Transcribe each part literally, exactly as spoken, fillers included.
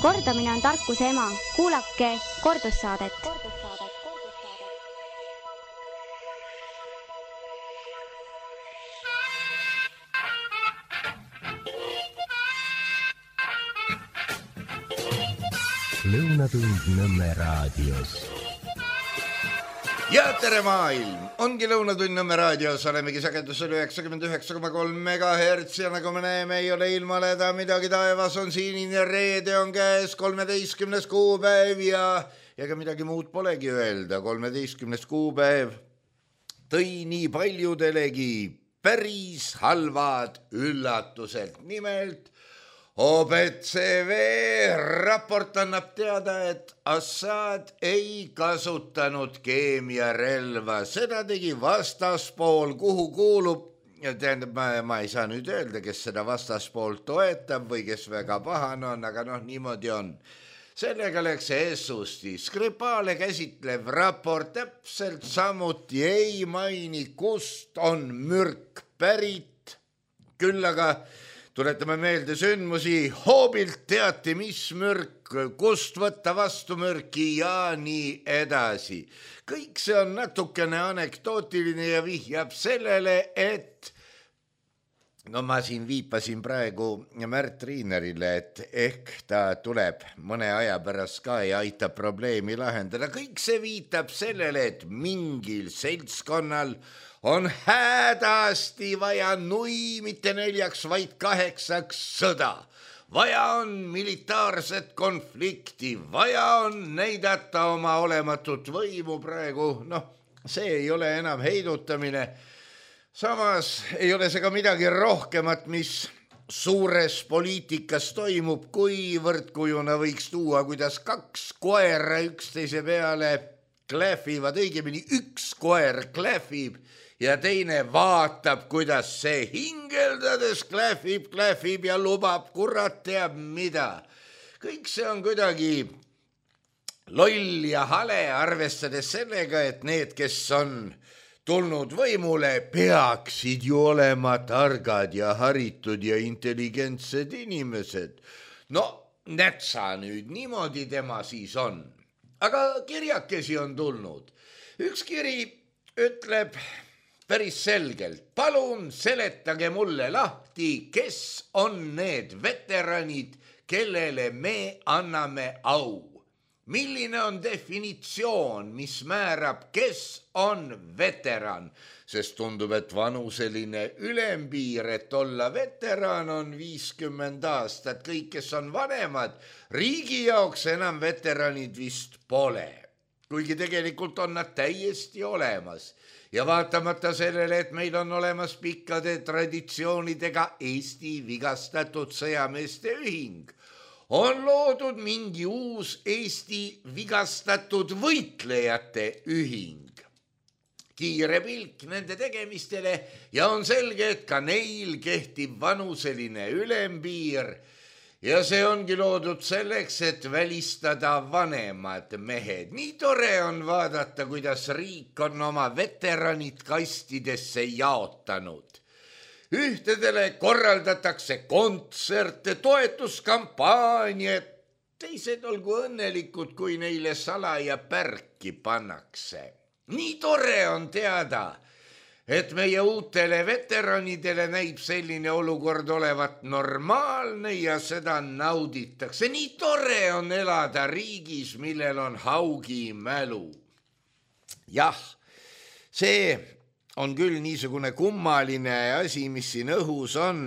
Kordamine on tarkuse ema. Kuulake kordussaadet. Lõunatund Nõmme raadios. Ja tere maailm! Ongi Lõunatund Nõmme raadios, olemegi sagedusel üheksakümmend üheksa koma kolm megahertsi ja nagu me näeme, ei ole ilmaleda midagi, taevas on sinine, reede on käes, kolmeteistkümnes kuupäev ja ega midagi muud polegi öelda. kolmeteistkümnes kuupäev tõi nii paljudelegi päris halvad üllatused. Nimelt O B C V raport annab teada, et Assad ei kasutanud keemiarelva. Seda tegi vastaspool, kuhu kuulub, tähendab, ma, ma ei saa nüüd öelda, kes seda vastaspool toetab või kes väga pahane on, aga noh, niimoodi on. Sellega läks essusti. Skripale käsitlev raport täpselt samuti ei maini, kust on mürk pärit. Küll aga tuletame meelde sündmusi, hoobilt teati, mis mürk, kust võtta vastu mürki ja nii edasi. Kõik see on natukene anekdootiline ja vihjab sellele, et no ma siin viipasin praegu Märt Riinerile, et ehk ta tuleb mõne aja pärast ka ja aitab probleemi lahendada. Kõik see viitab sellele, et mingil seltskonnal on hädasti vaja nui, mitte neljaks, vaid kaheksaks sõda. Vaja on militaarset konflikti, vaja on näidata oma olematut võimu praegu. Noh, see ei ole enam heidutamine. Samas ei ole see ka midagi rohkemat, mis suures poliitikas toimub, kuivõrd kujuna võiks tuua, kuidas kaks koera üksteise peale klähvivad, õigemini üks koer klähvib ja teine vaatab, kuidas see hingeldades klähvib, klähvib ja lubab kurat teab mida. Kõik see on kuidagi loll ja hale, arvestades sellega, et need, kes on tulnud võimule, peaksid ju olema targad ja haritud ja intelligentsed inimesed. No, nätsa nüüd, niimoodi tema siis on. Aga kirjakesi on tulnud. Üks kiri ütleb päris selgelt, palun seletage mulle lahti, kes on need veteranid, kellele me anname au. Milline on definitsioon, mis määrab, kes on veteran? Sest tundub, et vanuseline ülempiir, et olla veteran on viiskümmend aastat. Kõik, kes on vanemad, riigi jaoks enam veteranid vist pole. Kuigi tegelikult on nad täiesti olemas. Ja vaatamata sellele, et meil on olemas pikkade traditsioonidega Eesti vigastatud sõjameeste ühing, on loodud mingi uus Eesti vigastatud võitlejate ühing. Kiire pilk nende tegemistele ja on selge, et ka neil kehtib vanuseline ülempiir ja see ongi loodud selleks, et välistada vanemad mehed. Nii tore on vaadata, kuidas riik on oma veteranid kastidesse jaotanud. Ühtedele korraldatakse kontserte, toetuskampaaniad, teised olgu õnnelikud, kui neile salaja pärki pannakse. Nii tore on teada, et meie uutele veteranidele näib selline olukord olevat normaalne ja seda nauditakse. Nii tore on elada riigis, millel on haugi mälu. Jah, see on küll niisugune kummaline asi, mis siin õhus on.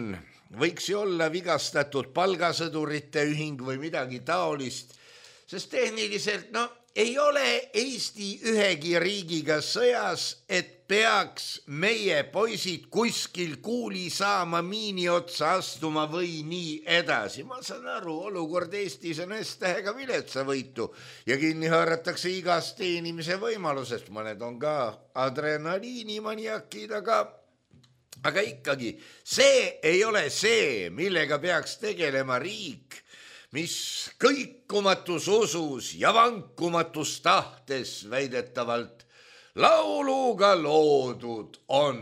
Võiks ju olla vigastatud palgasõdurite ühing või midagi taolist, sest tehniliselt, no, ei ole Eesti ühegi riigiga sõjas, et peaks meie poisid kuskil kuuli saama, miini otsa astuma või nii edasi. Ma saan aru, olukord Eestis on S-tähega viletsavõitu ja kinni haaratakse igast teenimise võimalusest. Mõned on ka adrenaliinimaniakid, aga, aga ikkagi see ei ole see, millega peaks tegelema riik, mis kõikumatus usus ja vankumatus tahtes väidetavalt lauluga loodud on.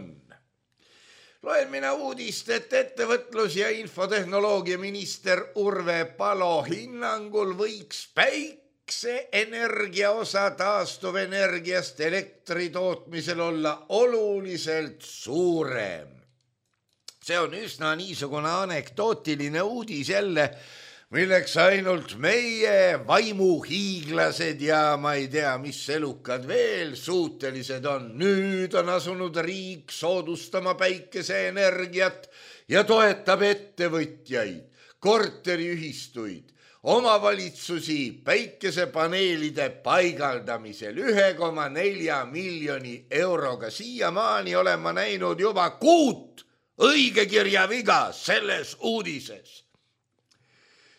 Loen mina uudist, et ettevõtlus- ja infotehnoloogia minister Urve Palo hinnangul võiks päikseenergia osa taastuvenergiast elektri tootmisel olla oluliselt suurem. See on üsna niisugune anekdootiline uudis jälle, milleks ainult meie vaimuhiiglased ja ma ei tea, mis elukad veel suutelised on. Nüüd on asunud riik soodustama päikeseenergiat ja toetab ettevõtjaid, korteriühistuid, omavalitsusi päikesepaneelide paigaldamisel ühe koma nelja miljoni euroga. Siiamaani olen ma näinud juba kuut õigekirjaviga selles uudises.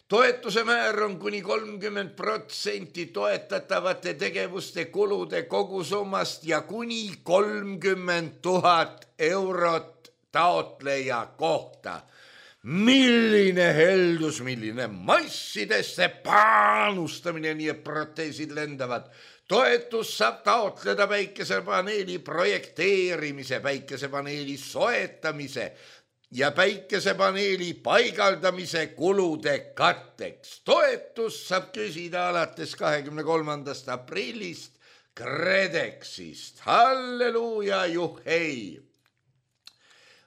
Toetuse määr on kuni kolmkümmend protsenti toetatavate tegevuste kulude kogusummast ja kuni kolmkümmend tuhat eurot taotleja kohta. Milline heldus, milline massidesse panustamine, nii et proteesid lendavad. Toetus saab taotleda päikesepaneeli projekteerimise, päikesepaneeli soetamise ja päikesepaneeli paigaldamise kulude katteks. Toetus saab küsida alates kahekümne kolmandast aprillist KredExist. Halleluuja, juhhei!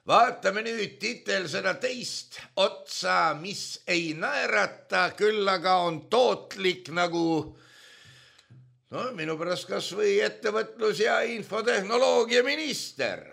Vaatame nüüd titel seda teist otsa, mis ei naerata, küll aga on tootlik nagu no, minu pärast kas või ettevõtlus- ja infotehnoloogia minister.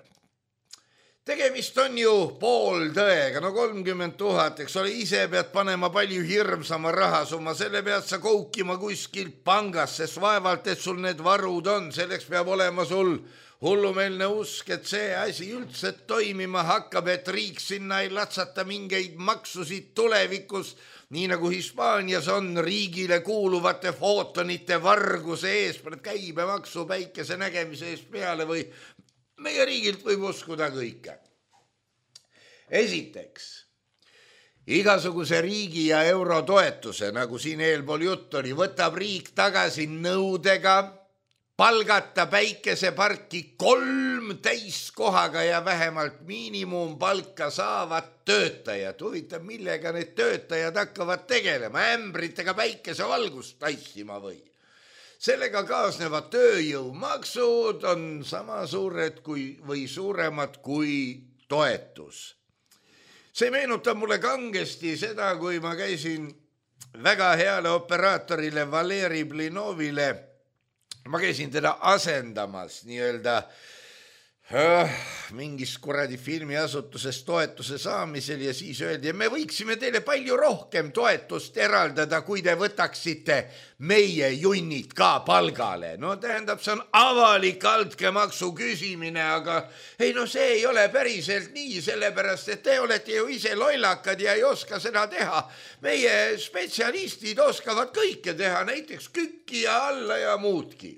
Tegemist on ju pooltõega, no kolmkümmend tuhat, eks ole, ise pead panema palju hirmsama rahasumma, selle pead sa koukima kuskilt pangast, sest vaevalt, et sul need varud on, selleks peab olema sul hullumeelne usk, et see asi üldse toimima hakkab, et riik sinna ei latsata mingeid maksusid tulevikus, nii nagu Hispaanias on riigile kuuluvate footonite varguse ees, käibemaksu päikese nägemise eest peale või meie riigilt võib uskuda kõike. Esiteks, igasuguse riigi ja eurotoetuse, nagu siin eelpool jutt oli, võtab riik tagasi nõudega palgata päikeseparki kolm täiskohaga ja vähemalt miinimumpalka saavad töötajad. Huvitav, millega need töötajad hakkavad tegelema, ämbritega päikesevalgust tassima või? Sellega kaasnevad tööjõumaksud on sama suured kui, või suuremad kui toetus. See meenutab mulle kangesti seda, kui ma käisin väga heale operaatorile Valeri Blinovile, ma käisin teda asendamas nii-öelda äh, mingis kuradi filmiasutuses toetuse saamisel ja siis öeldi, me võiksime teile palju rohkem toetust eraldada, kui te võtaksite meie junnid ka palgale. No tähendab, see on avalik altkäemaksu küsimine, aga ei no see ei ole päriselt nii, sellepärast, et te olete ju ise lollakad ja ei oska seda teha. Meie spetsialistid oskavad kõike teha, näiteks kükki ja alla ja muudki.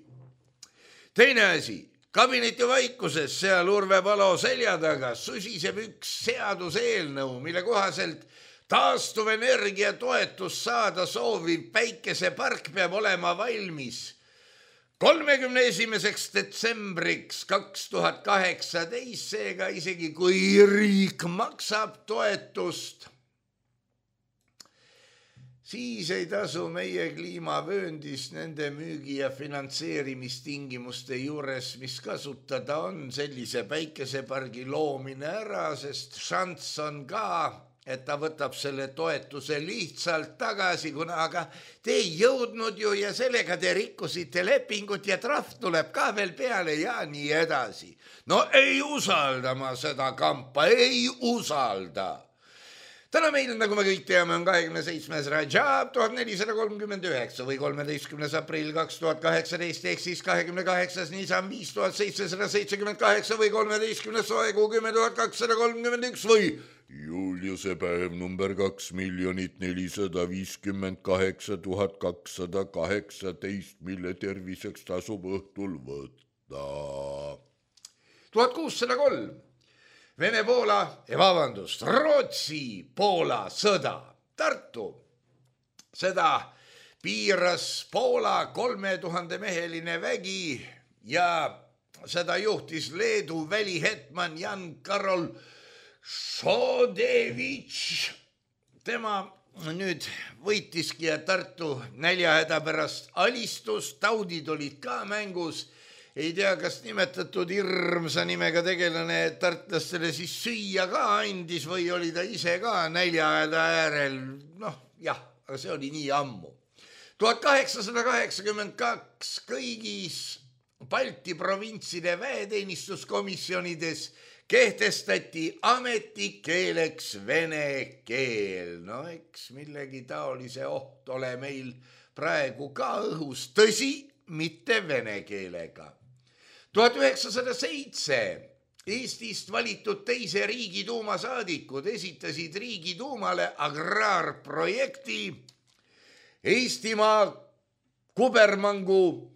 Teine asi. Kabineti vaikuses seal Urve Palo selja taga susiseb üks seaduseelnõu, mille kohaselt taastuvenergia toetus saada sooviv päikesepark peab olema valmis kolmekümne esimeseks detsembriks kaks tuhat kaheksateist, seega isegi kui riik maksab toetust, siis ei tasu meie kliimavööndis nende müügi- ja finantseerimistingimuste juures, mis kasutada on sellise päikesepargi loomine ära, sest šanss on ka, et ta võtab selle toetuse lihtsalt tagasi, kuna aga te ei jõudnud ju ja sellega te rikkusite lepingut ja trahv tuleb ka veel peale ja nii edasi. No ei usalda ma seda kampa, ei usalda. Täna meil, nagu me kõik teame, on kahekümne seitsmes Rajab tuhat nelisada kolmkümmend üheksa või kolmeteistkümnes aprill kaks tuhat kaheksateist ehk siis kahekümne kaheksas Nisan viis tuhat seitsesada seitsekümmend kaheksa või kolmeteistkümnes Soegu kümme tuhat kakssada kolmkümmend üks või Juliuse päev number kaks miljonit nelisada viiskümmend kaheksa tuhat kakssada kaheksateist, mille terviseks tasub õhtul võtta. tuhat kuussada kolm. Vene-Poola, ja vabandust, Rootsi-Poola sõda. Tartu. Seda piiras Poola kolme tuhande meheline vägi ja seda juhtis Leedu välihetman Jan Karol Šodevitš, tema nüüd võitiski ja Tartu näljahäda pärast alistus, taudid olid ka mängus. Ei tea, kas nimetatud hirmsa nimega tegelane tartlastele siis süüa ka andis või oli ta ise ka näljahäda äärel. Noh, jah, aga see oli nii ammu. tuhat kaheksasada kaheksakümmend kaks kõigis Balti provintside väeteenistuskomisjonides kehtestati ametikeeleks vene keel. No eks millegi taolise oht ole meil praegu ka õhus, tõsi, mitte vene keelega. tuhat üheksasada seitse Eestist valitud teise Riigiduuma saadikud esitasid Riigiduumale agraarprojekti Eestimaa kubermangu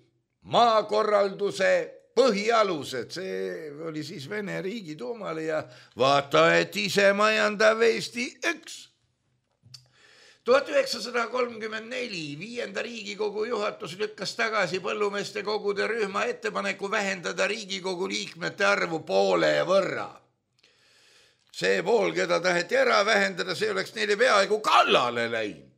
maakorralduse põhialused. See oli siis Vene Riigiduumale ja vaata, et ise majandav Eesti üks. tuhat üheksasada kolmkümmend neli viienda Riigikogu juhatus lükkas tagasi põllumeeste kogude rühma ettepaneku vähendada Riigikogu liikmete arvu poole võrra. See pool, keda taheti ära vähendada, see oleks neile peaaegu kallale läinud.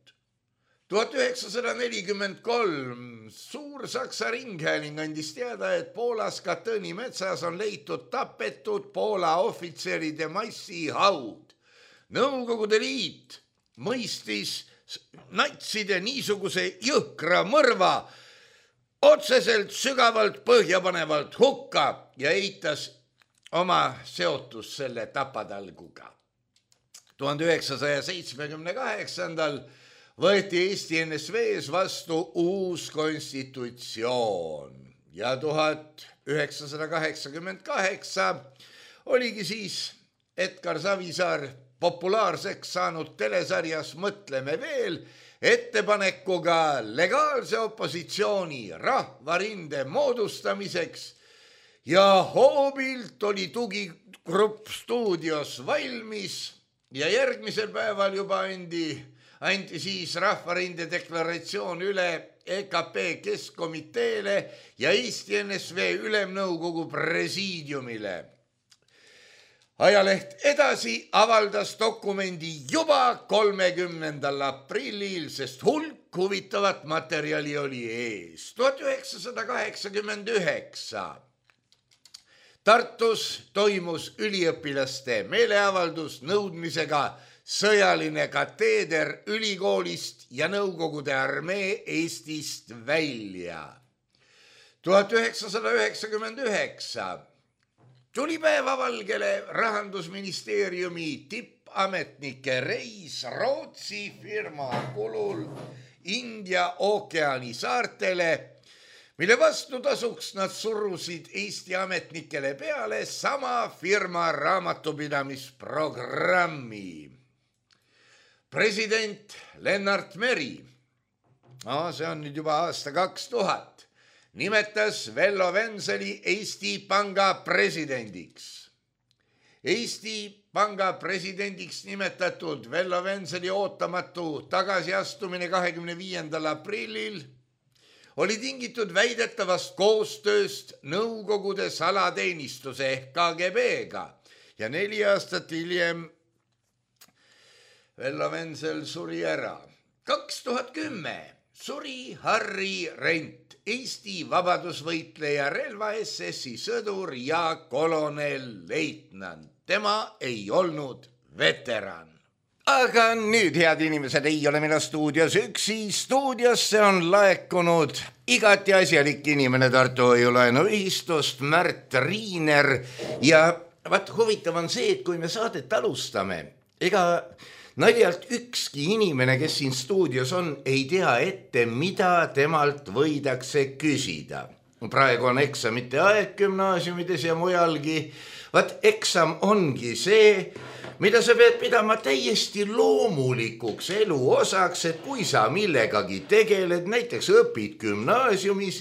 tuhat üheksasada nelikümmend kolm Suur-Saksa Ringhääling andis teada, et Poolas Katõni metsas on leitud tapetud Poola ohvitseride massihaud. Nõukogude Liit mõistis natside niisuguse jõhkra mõrva otseselt sügavalt põhjapanevalt hukka ja eitas oma seotus selle tapatalguga. tuhande üheksasaja seitsmekümne kaheksandal võeti Eesti N S V-s vastu uus konstitutsioon ja tuhat üheksasada kaheksakümmend kaheksa oligi siis Edgar Savisaar populaarseks saanud telesarjas Mõtleme veel ettepanekuga legaalse opositsiooni rahvarinde moodustamiseks ja hoobilt oli tugigrupp stuudios valmis ja järgmisel päeval juba andi, andi siis rahvarinde deklaratsioon üle E K P keskkomiteele ja Eesti N S V ülemnõukogu presiidiumile. Ajaleht Edasi avaldas dokumendi juba kolmekümnendal aprillil, sest hulk huvitavat materjali oli ees. tuhat üheksasada kaheksakümmend üheksa Tartus toimus üliõpilaste meeleavaldus nõudmisega sõjaline kateeder ülikoolist ja Nõukogude armee Eestist välja. tuhat üheksasada üheksakümmend üheksa tuli päevavalgele Rahandusministeeriumi tippametnike reis Rootsi firma kulul India ookeani saartele, mille vastu tasuks nad surusid Eesti ametnikele peale sama firma raamatupidamisprogrammi. President Lennart Meri, no, see on nüüd juba aasta kaks tuhat, nimetas Vello Venseli Eesti Panga presidendiks. Eesti Panga presidendiks nimetatud Vello Venseli ootamatu tagasiastumine kahekümne viiendal aprillil oli tingitud väidetavast koostööst Nõukogude salateenistuse ehk K G B-ga ja neli aastat hiljem Vello Vensel suri ära. kaks tuhat kümme suri Harri Rent, Eesti vabadusvõitleja relva S S-i sõdur ja kolonel leitnant. Tema ei olnud veteran. Aga nüüd, head inimesed, ei ole meil stuudios üksi. Stuudiosse on laekunud igati asjalik inimene Tartu Hoiulaenuühistust, Märt Riiner. Ja vaat huvitav on see, et kui me saadet alustame, ega naljalt ükski inimene, kes siin stuudios on, ei tea ette, mida temalt võidakse küsida. Praegu on eksamite aeg gümnaasiumides ja mujalgi. Vaat eksam ongi see, mida sa pead pidama täiesti loomulikuks elu osaks, et kui sa millegagi tegeled, näiteks õpid gümnaasiumis,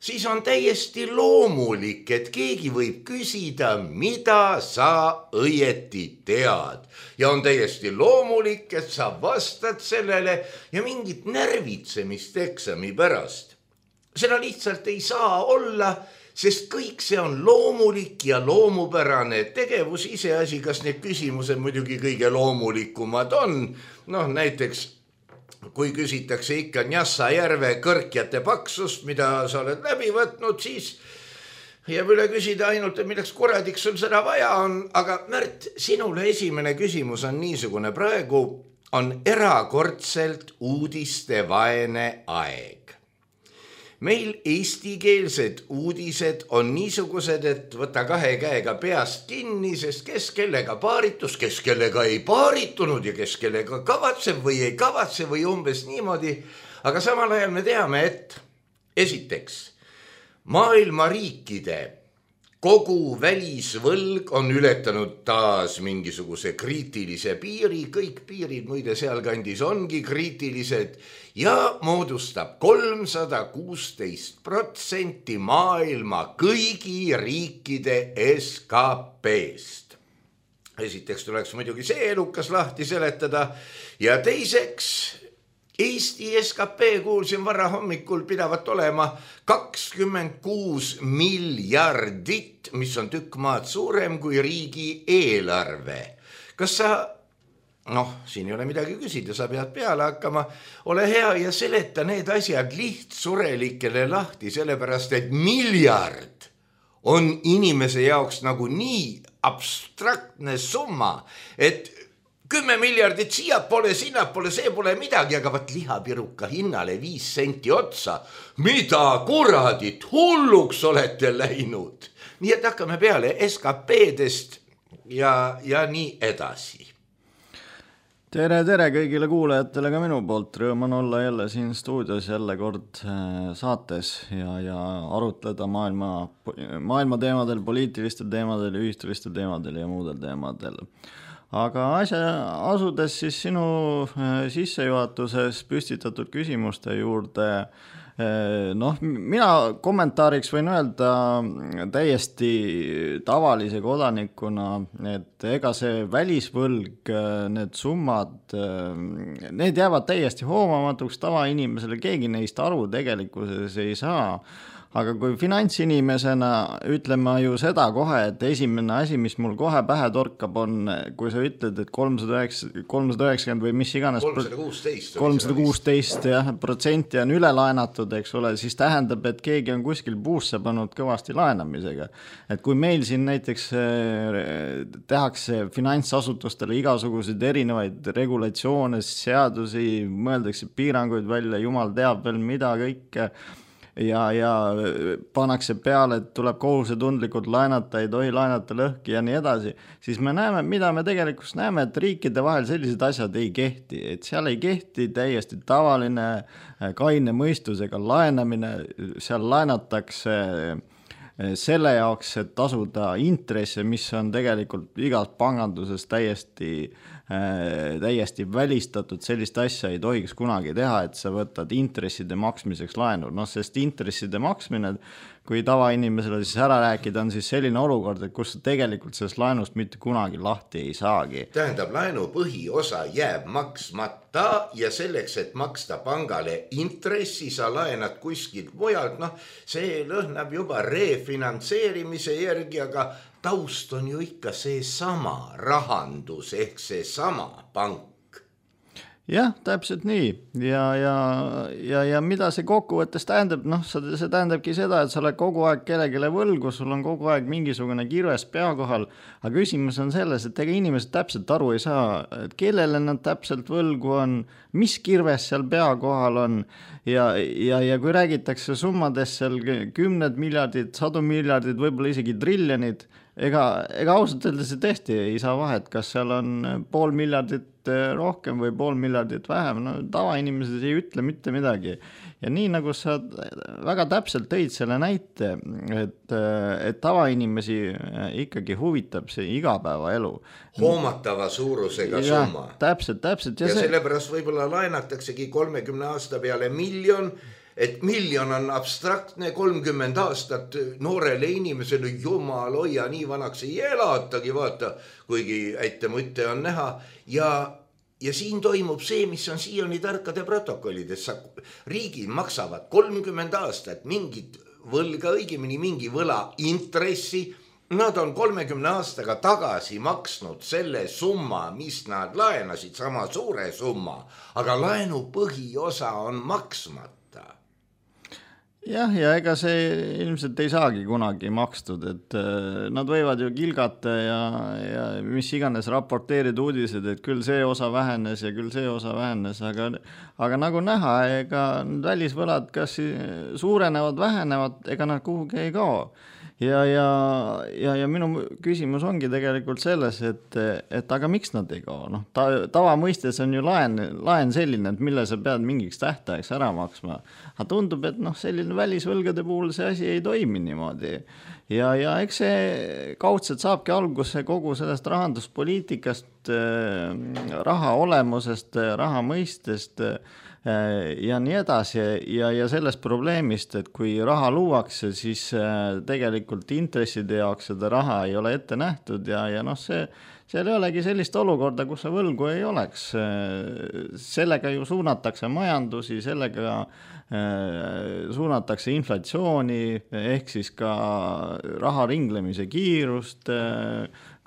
siis on täiesti loomulik, et keegi võib küsida, mida sa õieti tead. Ja on täiesti loomulik, et sa vastad sellele ja mingit närvitsemist eksami pärast. Seda lihtsalt ei saa olla, sest kõik see on loomulik ja loomupärane tegevus, iseasi, kas need küsimused muidugi kõige loomulikumad on. Noh, näiteks kui küsitakse ikka Njassa järve kõrkjate paksust, mida sa oled läbi võtnud, siis jääb üle küsida ainult, et milleks kuradiks sul seda vaja on. Aga Märt, sinule esimene küsimus on niisugune. Praegu on erakordselt uudistevaene aeg. Meil eestikeelsed uudised on niisugused, et võta kahe käega peast kinni, sest kes kellega paaritus, kes kellega ei paaritunud ja kes kellega kavatseb või ei kavatse või umbes niimoodi. Aga samal ajal me teame, et esiteks maailma riikide kogu välisvõlg on ületanud taas mingisuguse kriitilise piiri, kõik piirid muide sealkandis ongi kriitilised ja moodustab kolmsada kuusteist protsenti maailma kõigi riikide S K P-st. Esiteks tuleks muidugi see elukas lahti seletada ja teiseks Eesti S K P kuulsin varra hommikul pidavat olema kakskümmend kuus miljardit, mis on tükk maad suurem kui riigi eelarve. Kas sa, noh, siin ei ole midagi küsida, sa pead peale hakkama, ole hea ja seleta need asjad lihtsurelikele lahti, sellepärast et miljard on inimese jaoks nagu nii abstraktne summa, et kümme miljardit siia pole, sinna pole, see pole midagi, aga vaat lihapiruka hinnale viis senti otsa. Mida kuradit hulluks olete läinud? Nii et hakkame peale S K P-dest ja, ja nii edasi. Tere, tere kõigile kuulajatele ka minu poolt. Rõõm on olla jälle siin stuudios jälle kord saates ja, ja arutleda maailma, maailma teemadel, poliitilistel teemadel, ühistulistel teemadel ja muudel teemadel. Aga asja asudes siis sinu sissejuhatuses püstitatud küsimuste juurde, noh, mina kommentaariks võin öelda täiesti tavalise kodanikuna, et ega see välisvõlg, need summad, need jäävad täiesti hoomamatuks tavainimesele, keegi neist aru tegelikkuses ei saa. Aga kui finantsinimesena ütleme ju seda kohe, et esimene asi, mis mul kohe pähe torkab on, kui sa ütled, et kolmsada üheksakümmend või mis iganes kolmsada kuusteist jah, protsenti on üle laenatud, eks ole, siis tähendab, et keegi on kuskil puusse pannud kõvasti laenamisega. Et kui meil siin näiteks tehakse finantsasutustele igasuguseid erinevaid regulatsioone, seadusi, mõeldakse piiranguid välja, jumal teab veel mida kõike, ja, ja pannakse peale, et tuleb kohusetundlikult laenata, ei tohi laenata lõhki ja nii edasi, siis me näeme, mida me tegelikult näeme, et riikide vahel sellised asjad ei kehti, et seal ei kehti täiesti tavaline kaine mõistusega laenamine, seal laenatakse selle jaoks, et tasuda intresse, mis on tegelikult igas panganduses täiesti täiesti välistatud, sellist asja ei tohiks kunagi teha, et sa võtad intresside maksmiseks laenu. No, sest intresside maksmine, kui tavainimesele siis ära rääkida, on siis selline olukord, et kus tegelikult sellest laenust mitte kunagi lahti ei saagi. Tähendab, laenu põhiosa jääb maksmata ja selleks, et maksta pangale intressi, sa laenad kuskilt mujalt. Noh, see lõhnab juba refinantseerimise järgi, aga taust on ju ikka see sama rahandus ehk see sama pank. Jah, täpselt nii. Ja, ja, ja, ja mida see kokkuvõttes tähendab? Noh, see tähendabki seda, et sa oled kogu aeg kellegile võlgu, sul on kogu aeg mingisugune kirves pea kohal, aga küsimus on selles, et ega inimesed täpselt aru ei saa, et kellele nad täpselt võlgu on, mis kirves seal pea kohal on ja, ja, ja kui räägitakse summades seal kümned miljardid, sadu miljardid, võib-olla isegi triljonid, ega, ega ausalt öeldes tõesti ei saa vahet, kas seal on pool miljardit rohkem või pool miljardit vähem, no tavainimesed ei ütle mitte midagi. Ja nii nagu sa väga täpselt tõid selle näite, et, et tavainimesi ikkagi huvitab see igapäevaelu. Hoomatava suurusega ja, summa. Täpselt, täpselt. Ja, ja see... sellepärast võib-olla laenataksegi kolmekümne aasta peale miljon, et miljon on abstraktne, kolmkümmend aastat noorele inimesele, jumal hoia, nii vanaks ei elatagi, vaata, kuigi äite mõtte on näha. Ja, ja siin toimub see, mis on siiani tarkade protokollides. Riigid maksavad kolmkümmend aastat mingit võlga, õigemini mingi võla intressi, nad on kolmekümne aastaga tagasi maksnud selle summa, mis nad laenasid, sama suure summa, aga laenu põhiosa on maksmata. Jah, ja ega see ilmselt ei saagi kunagi makstud, et nad võivad ju kilgata ja, ja mis iganes raporteerid uudised, et küll see osa vähenes ja küll see osa vähenes, aga, aga nagu näha, ega välisvõlad kas suurenevad, vähenevad, ega nad kuhugi ei kao. Ja, ja, ja, ja minu küsimus ongi tegelikult selles, et, et aga miks nad ei kao? No, ta, tava mõistes on ju laen, laen selline, et mille sa pead mingiks tähtajaks ära maksma. Aga tundub, et noh, selline välisvõlgade puhul see asi ei toimi niimoodi. Ja, ja eks see kaudselt saabki alguse kogu sellest rahanduspoliitikast, raha olemusest, raha mõistest, ja nii edasi ja, ja sellest probleemist, et kui raha luuakse, siis tegelikult intresside jaoks seda raha ei ole ette nähtud ja, ja noh, see, seal ei olegi sellist olukorda, kus see võlgu ei oleks. Sellega ju suunatakse majandusi, sellega suunatakse inflatsiooni, ehk siis ka raha ringlemise kiirust,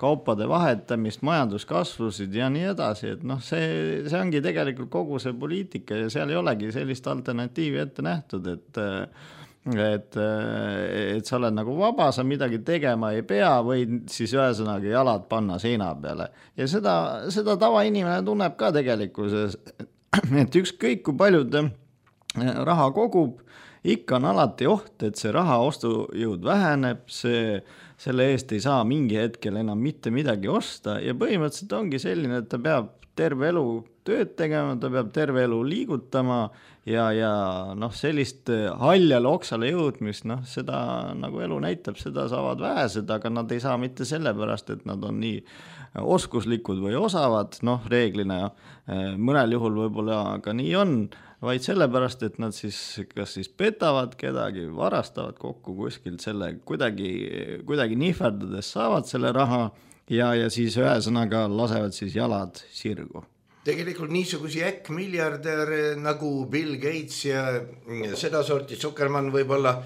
kaupade vahetamist, majanduskasvusid ja nii edasi, et noh, see, see ongi tegelikult kogu see poliitika ja seal ei olegi sellist alternatiivi ette nähtud, et et, et sa oled nagu vaba, sa midagi tegema ei pea või siis ühesõnaga jalad panna seina peale. Ja seda, seda tavainimene tunneb ka tegelikkuses, et ükskõik kui paljud raha kogub, ikka on alati oht, et see raha ostujõud väheneb, see, selle eest ei saa mingi hetkel enam mitte midagi osta ja põhimõtteliselt ongi selline, et ta peab terve elu tööd tegema, ta peab terve elu liigutama ja, ja noh, sellist haljale oksale jõudmist, noh, seda nagu elu näitab, seda saavad vähesed, aga nad ei saa mitte sellepärast, et nad on nii oskuslikud või osavad, noh, reeglina mõnel juhul võib-olla ka nii on, vaid sellepärast, et nad siis kas siis petavad kedagi, varastavad kokku kuskilt selle, kuidagi, kuidagi nihverdades saavad selle raha ja, ja siis ühesõnaga lasevad siis jalad sirgu. Tegelikult niisugusi äkkmiljardär nagu Bill Gates ja seda sorti Zuckerman võib-olla,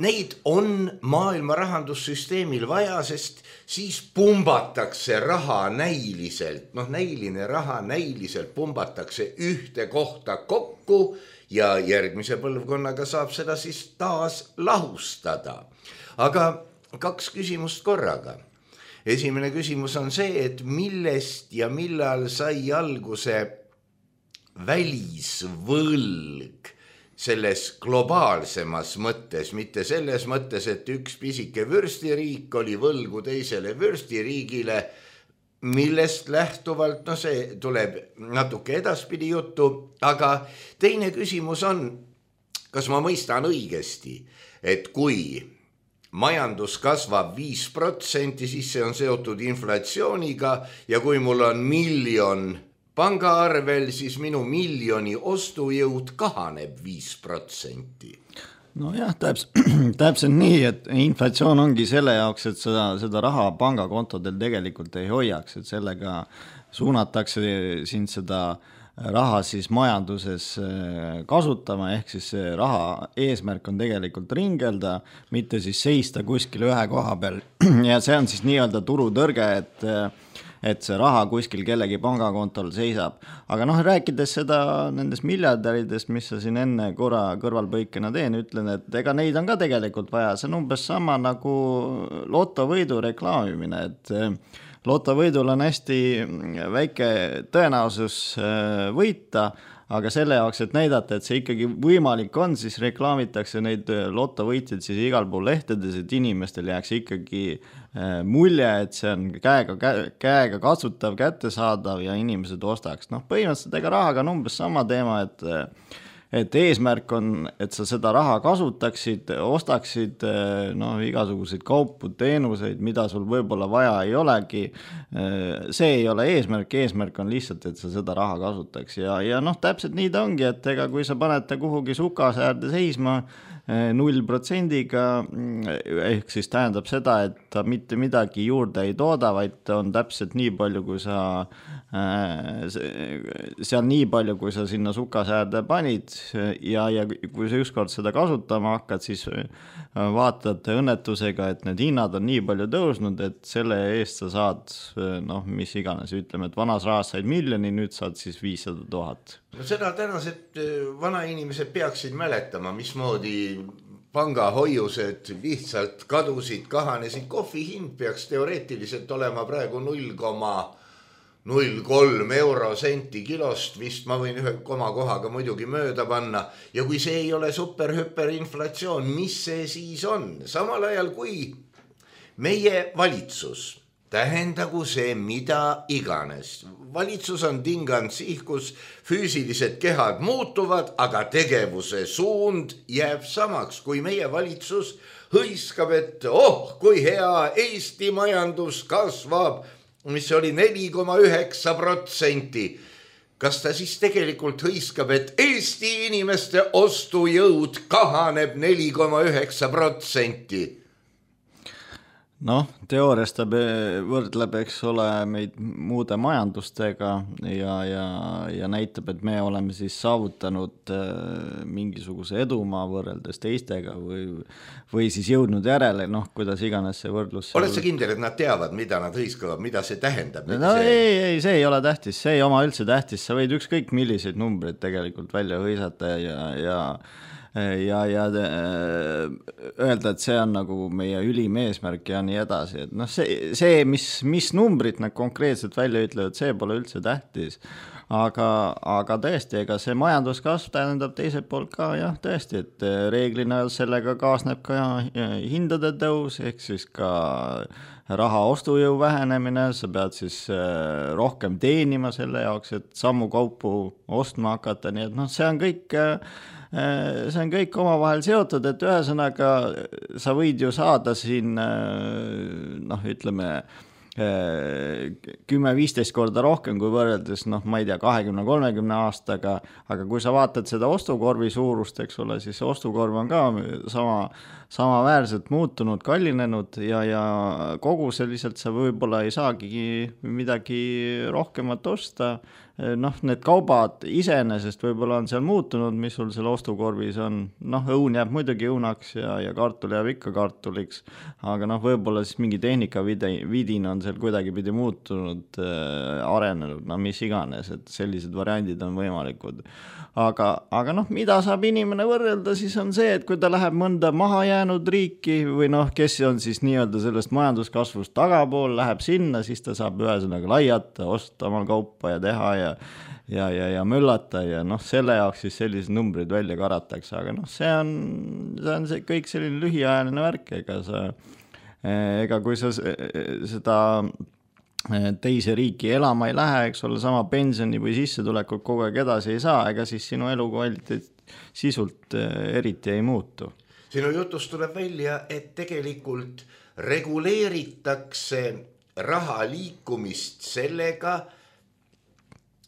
neid on maailma rahandussüsteemil vaja, sest siis pumbatakse raha näiliselt, noh näiline raha näiliselt pumbatakse ühte kohta kokku ja järgmise põlvkonnaga saab seda siis taas lahustada. Aga kaks küsimust korraga. Esimene küsimus on see, et millest ja millal sai alguse välisvõlg selles globaalsemas mõttes, mitte selles mõttes, et üks pisike vürstiriik oli võlgu teisele vürstiriigile, millest lähtuvalt, no see tuleb natuke edaspidi juttu, aga teine küsimus on, kas ma mõistan õigesti, et kui majandus kasvab viis protsenti, siis see on seotud inflatsiooniga ja kui mul on miljon pangaarvel, siis minu miljoni ostujõud kahaneb viis protsenti. No jah, täpselt, täpselt nii, et inflatsioon ongi selle jaoks, et seda, seda raha pangakontodel tegelikult ei hoiaks, et sellega suunatakse siin seda raha siis majanduses kasutama, ehk siis see raha eesmärk on tegelikult ringelda, mitte siis seista kuskil ühe koha peal. Ja see on siis nii-öelda turutõrge, et et see raha kuskil kellegi pangakontol seisab. Aga noh, rääkides seda nendest miljardäridest, mis sa siin enne korra kõrvalpõikena teen, ütlen, et ega neid on ka tegelikult vaja. See on umbes sama nagu lotovõidu reklaamimine, et lotovõidul on hästi väike tõenäosus võita, aga selle jaoks, et näidata, et see ikkagi võimalik on, siis reklaamitakse neid lotovõitjaid siis igal pool lehtedes, et inimestel jääks ikkagi mulje, et see on käega, käega katsutav, kättesaadav ja inimesed ostaks. Noh, põhimõtteliselt ega rahaga on umbes sama teema, et et eesmärk on, et sa seda raha kasutaksid, ostaksid no, igasuguseid kaupu, teenuseid, mida sul võib-olla vaja ei olegi. See ei ole eesmärk, eesmärk on lihtsalt, et sa seda raha kasutaks. Ja, ja noh, täpselt nii ta ongi, et ega kui sa panete kuhugi sukasäärde seisma null protsendiga, ehk siis tähendab seda, et ta mitte midagi juurde ei tooda, vaid ta on täpselt nii palju, kui sa seal nii palju, kui sa sinna sukasäärde panid ja, ja kui sa ükskord seda kasutama hakkad, siis vaatad õnnetusega, et need hinnad on nii palju tõusnud, et selle eest sa saad, noh, mis iganes, ütleme, et vanas rahas said miljoni, nüüd saad siis viissada tuhat. No seda tänased vanainimesed peaksid mäletama, mismoodi pangahoiused lihtsalt kadusid, kahanesid. Kohvi hind peaks teoreetiliselt olema praegu null koma null kolm eurosenti kilost, vist ma võin ühe koma kohaga muidugi mööda panna. Ja kui see ei ole super-hüper inflatsioon, mis see siis on? Samal ajal kui meie valitsus, tähendagu see mida iganes. Valitsus on tinganud sihkus, füüsilised kehad muutuvad, aga tegevuse suund jääb samaks. Kui meie valitsus hõiskab, et oh, kui hea Eesti majandus kasvab, mis oli neli koma üheksa protsenti. Kas ta siis tegelikult hõiskab, et Eesti inimeste ostujõud kahaneb neli koma üheksa protsenti? Noh, teoorias ta võrdleb, eks ole, meid muude majandustega ja, ja, ja näitab, et me oleme siis saavutanud mingisuguse edumaa võrreldes teistega või, või siis jõudnud järele, noh, kuidas iganes see võrdlus. Oled sa kindel, et nad teavad, mida nad hõiskavad, mida see tähendab? No see... ei, ei, see ei ole tähtis, see ei oma üldse tähtis, sa võid ükskõik milliseid numbreid tegelikult välja hõisata ja, ja ja, ja öelda, et see on nagu meie ülim eesmärk ja nii edasi, et noh, see, see mis, mis numbrid nad konkreetselt välja ütlevad, see pole üldse tähtis, aga, aga tõesti, ega see majanduskasv tähendab teiselt poolt ka, jah, tõesti, et reeglina sellega kaasneb ka hindade tõus, ehk siis ka raha ostujõu vähenemine, sa pead siis rohkem teenima selle jaoks, et sammu kaupu ostma hakata, nii et noh, see on kõik see on kõik omavahel seotud, et ühesõnaga sa võid ju saada siin, noh, ütleme, kümme viisteist korda rohkem kui võrreldes, noh, ma ei tea, kahekümne kolmekümne aastaga, aga kui sa vaatad seda ostukorvi suurust, eks ole, siis ostukorv on ka sama, samaväärselt muutunud, kallinenud ja, ja kogu selliselt sa võib-olla ei saagi midagi rohkemat osta. Noh, need kaubad iseenesest võib-olla on seal muutunud, mis sul seal ostukorvis on. Noh, õun jääb muidugi õunaks ja, ja kartul jääb ikka kartuliks, aga noh, võib-olla siis mingi tehnika vidin on seal kuidagi pidi muutunud, äh, arenenud, no mis iganes, et sellised variandid on võimalikud. Aga, aga noh, mida saab inimene võrrelda, siis on see, et kui ta läheb mõnda maha jäänud riiki või noh, kes on siis nii-öelda sellest majanduskasvust tagapool, läheb sinna, siis ta saab ühesõnaga laiata, osta omal kaupa ja teha ja ja, ja, ja möllata ja noh, selle jaoks siis sellised numbrid välja karatakse, aga noh, see on, see on see kõik selline lühiajaline värk, ega sa, ega kui sa seda teise riiki elama ei lähe, eks ole, sama pensioni või sissetulekut kogu aeg edasi ei saa, ega siis sinu elukvaliteet sisult eriti ei muutu. Sinu jutust tuleb välja, et tegelikult reguleeritakse raha liikumist sellega,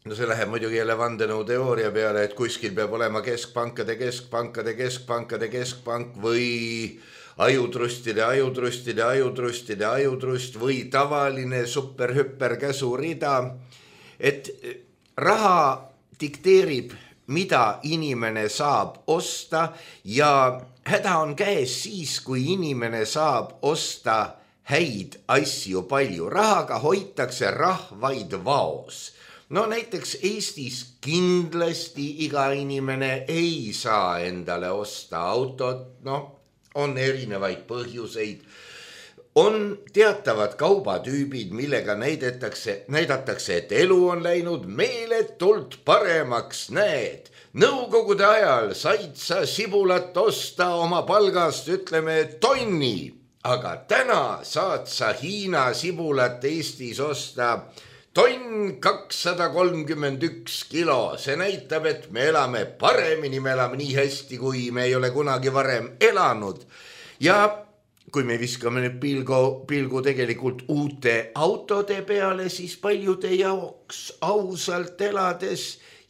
no see läheb muidugi jälle vandenõu teooria peale, et kuskil peab olema keskpankade, keskpankade, keskpankade, keskpank või ajutrustide, ajutrustide, ajutrustide, ajutrust või tavaline super-hüper käsurida, et raha dikteerib, mida inimene saab osta ja häda on käes siis, kui inimene saab osta häid asju palju. Rahaga hoitakse rahvaid vaos. No näiteks Eestis kindlasti iga inimene ei saa endale osta autot, noh, on erinevaid põhjuseid. On teatavad kaubatüübid, millega näidatakse, näidatakse, et elu on läinud meeletult paremaks, näed. Nõukogude ajal said sa sibulat osta oma palgast, ütleme, tonni, aga täna saad sa Hiina sibulat Eestis osta tonn kakssada kolmkümmend üks kilo. See näitab, et me elame paremini, me elame nii hästi, kui me ei ole kunagi varem elanud. Ja kui me viskame nüüd pilgu, pilgu tegelikult uute autode peale, siis paljude jaoks ausalt elades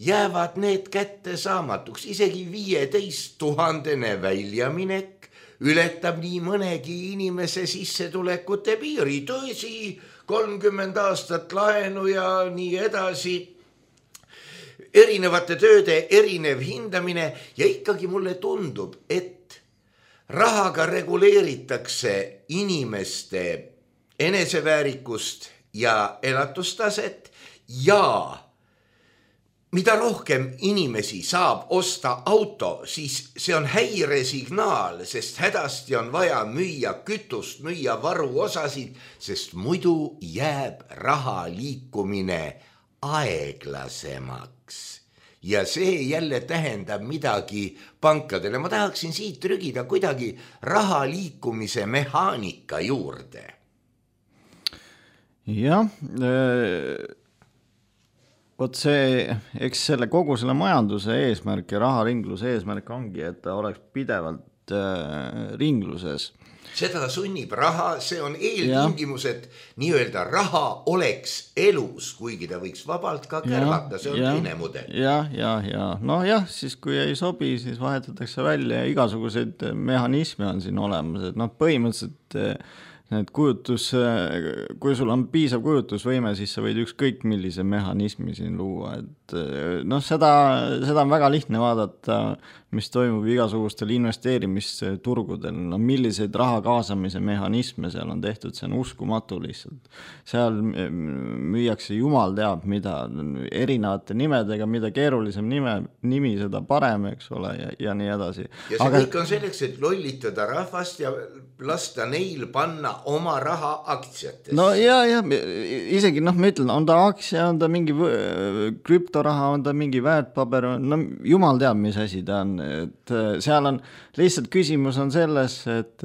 jäävad need kätte saamatuks, isegi viieteist tuhandene väljaminek ületab nii mõnegi inimese sissetulekute piiri, tõsi, kolmkümmend aastat laenu ja nii edasi, erinevate tööde erinev hindamine ja ikkagi mulle tundub, et rahaga reguleeritakse inimeste eneseväärikust ja elatustaset ja mida rohkem inimesi saab osta auto, siis see on häiresignaal, sest hädasti on vaja müüa kütust, müüa varuosasid, sest muidu jääb raha liikumine aeglasemaks. Ja see jälle tähendab midagi pankadele. Ma tahaksin siit trügida kuidagi raha liikumise mehaanika juurde. Jah, vot see, eks selle kogu selle majanduse eesmärk ja raharingluse eesmärk ongi, et ta oleks pidevalt äh, ringluses. Seda sunnib raha, see on eeltingimus, et nii-öelda raha oleks elus, kuigi ta võiks vabalt ka kärvata, see on ja, teine mudel. Jah, jah, jah. No jah, siis kui ei sobi, siis vahetatakse välja ja igasuguseid mehhanisme on siin olemas, et noh, põhimõtteliselt need kujutus, kui sul on piisav kujutusvõime, siis sa võid ükskõik millise mehhanismi siin luua, et noh, seda, seda on väga lihtne vaadata, mis toimub igasugustel investeerimisturgudel, no milliseid raha kaasamise mehhanisme seal on tehtud, see on uskumatu lihtsalt. Seal müüakse jumal teab mida, erinevate nimedega, mida keerulisem nime, nimi, seda parem, eks ole, ja, ja nii edasi. Ja see Aga... kõik on selleks, et lollitada rahvast ja lasta neil panna oma raha aktsiatest. No ja, ja isegi noh, ma ütlen, on ta aktsia, on ta mingi krüptoraha, on ta mingi väärtpaber, no jumal teab, mis asi ta on. Et seal on lihtsalt küsimus on selles, et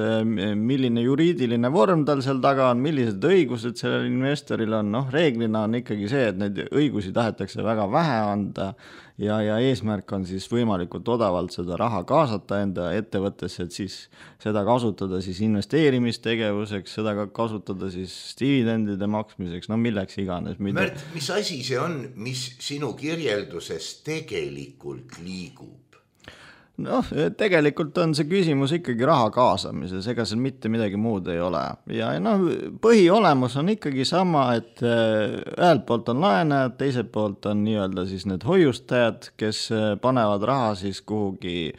milline juriidiline vorm tal seal taga on, millised õigused sellel investoril on, noh reeglina on ikkagi see, et neid õigusi tahetakse väga vähe anda ja, ja eesmärk on siis võimalikult odavalt seda raha kaasata enda ettevõttesse, et siis seda kasutada siis investeerimistegevuseks, seda ka kasutada siis dividendide maksmiseks, no milleks iganes. Mida... Märt, mis asi see on, mis sinu kirjelduses tegelikult liigub? Noh, tegelikult on see küsimus ikkagi raha kaasamises, ega seal mitte midagi muud ei ole. Ja noh, põhiolemus on ikkagi sama, et ühelt poolt on laenajad, teiselt poolt on nii-öelda siis need hoiustajad, kes panevad raha siis kuhugi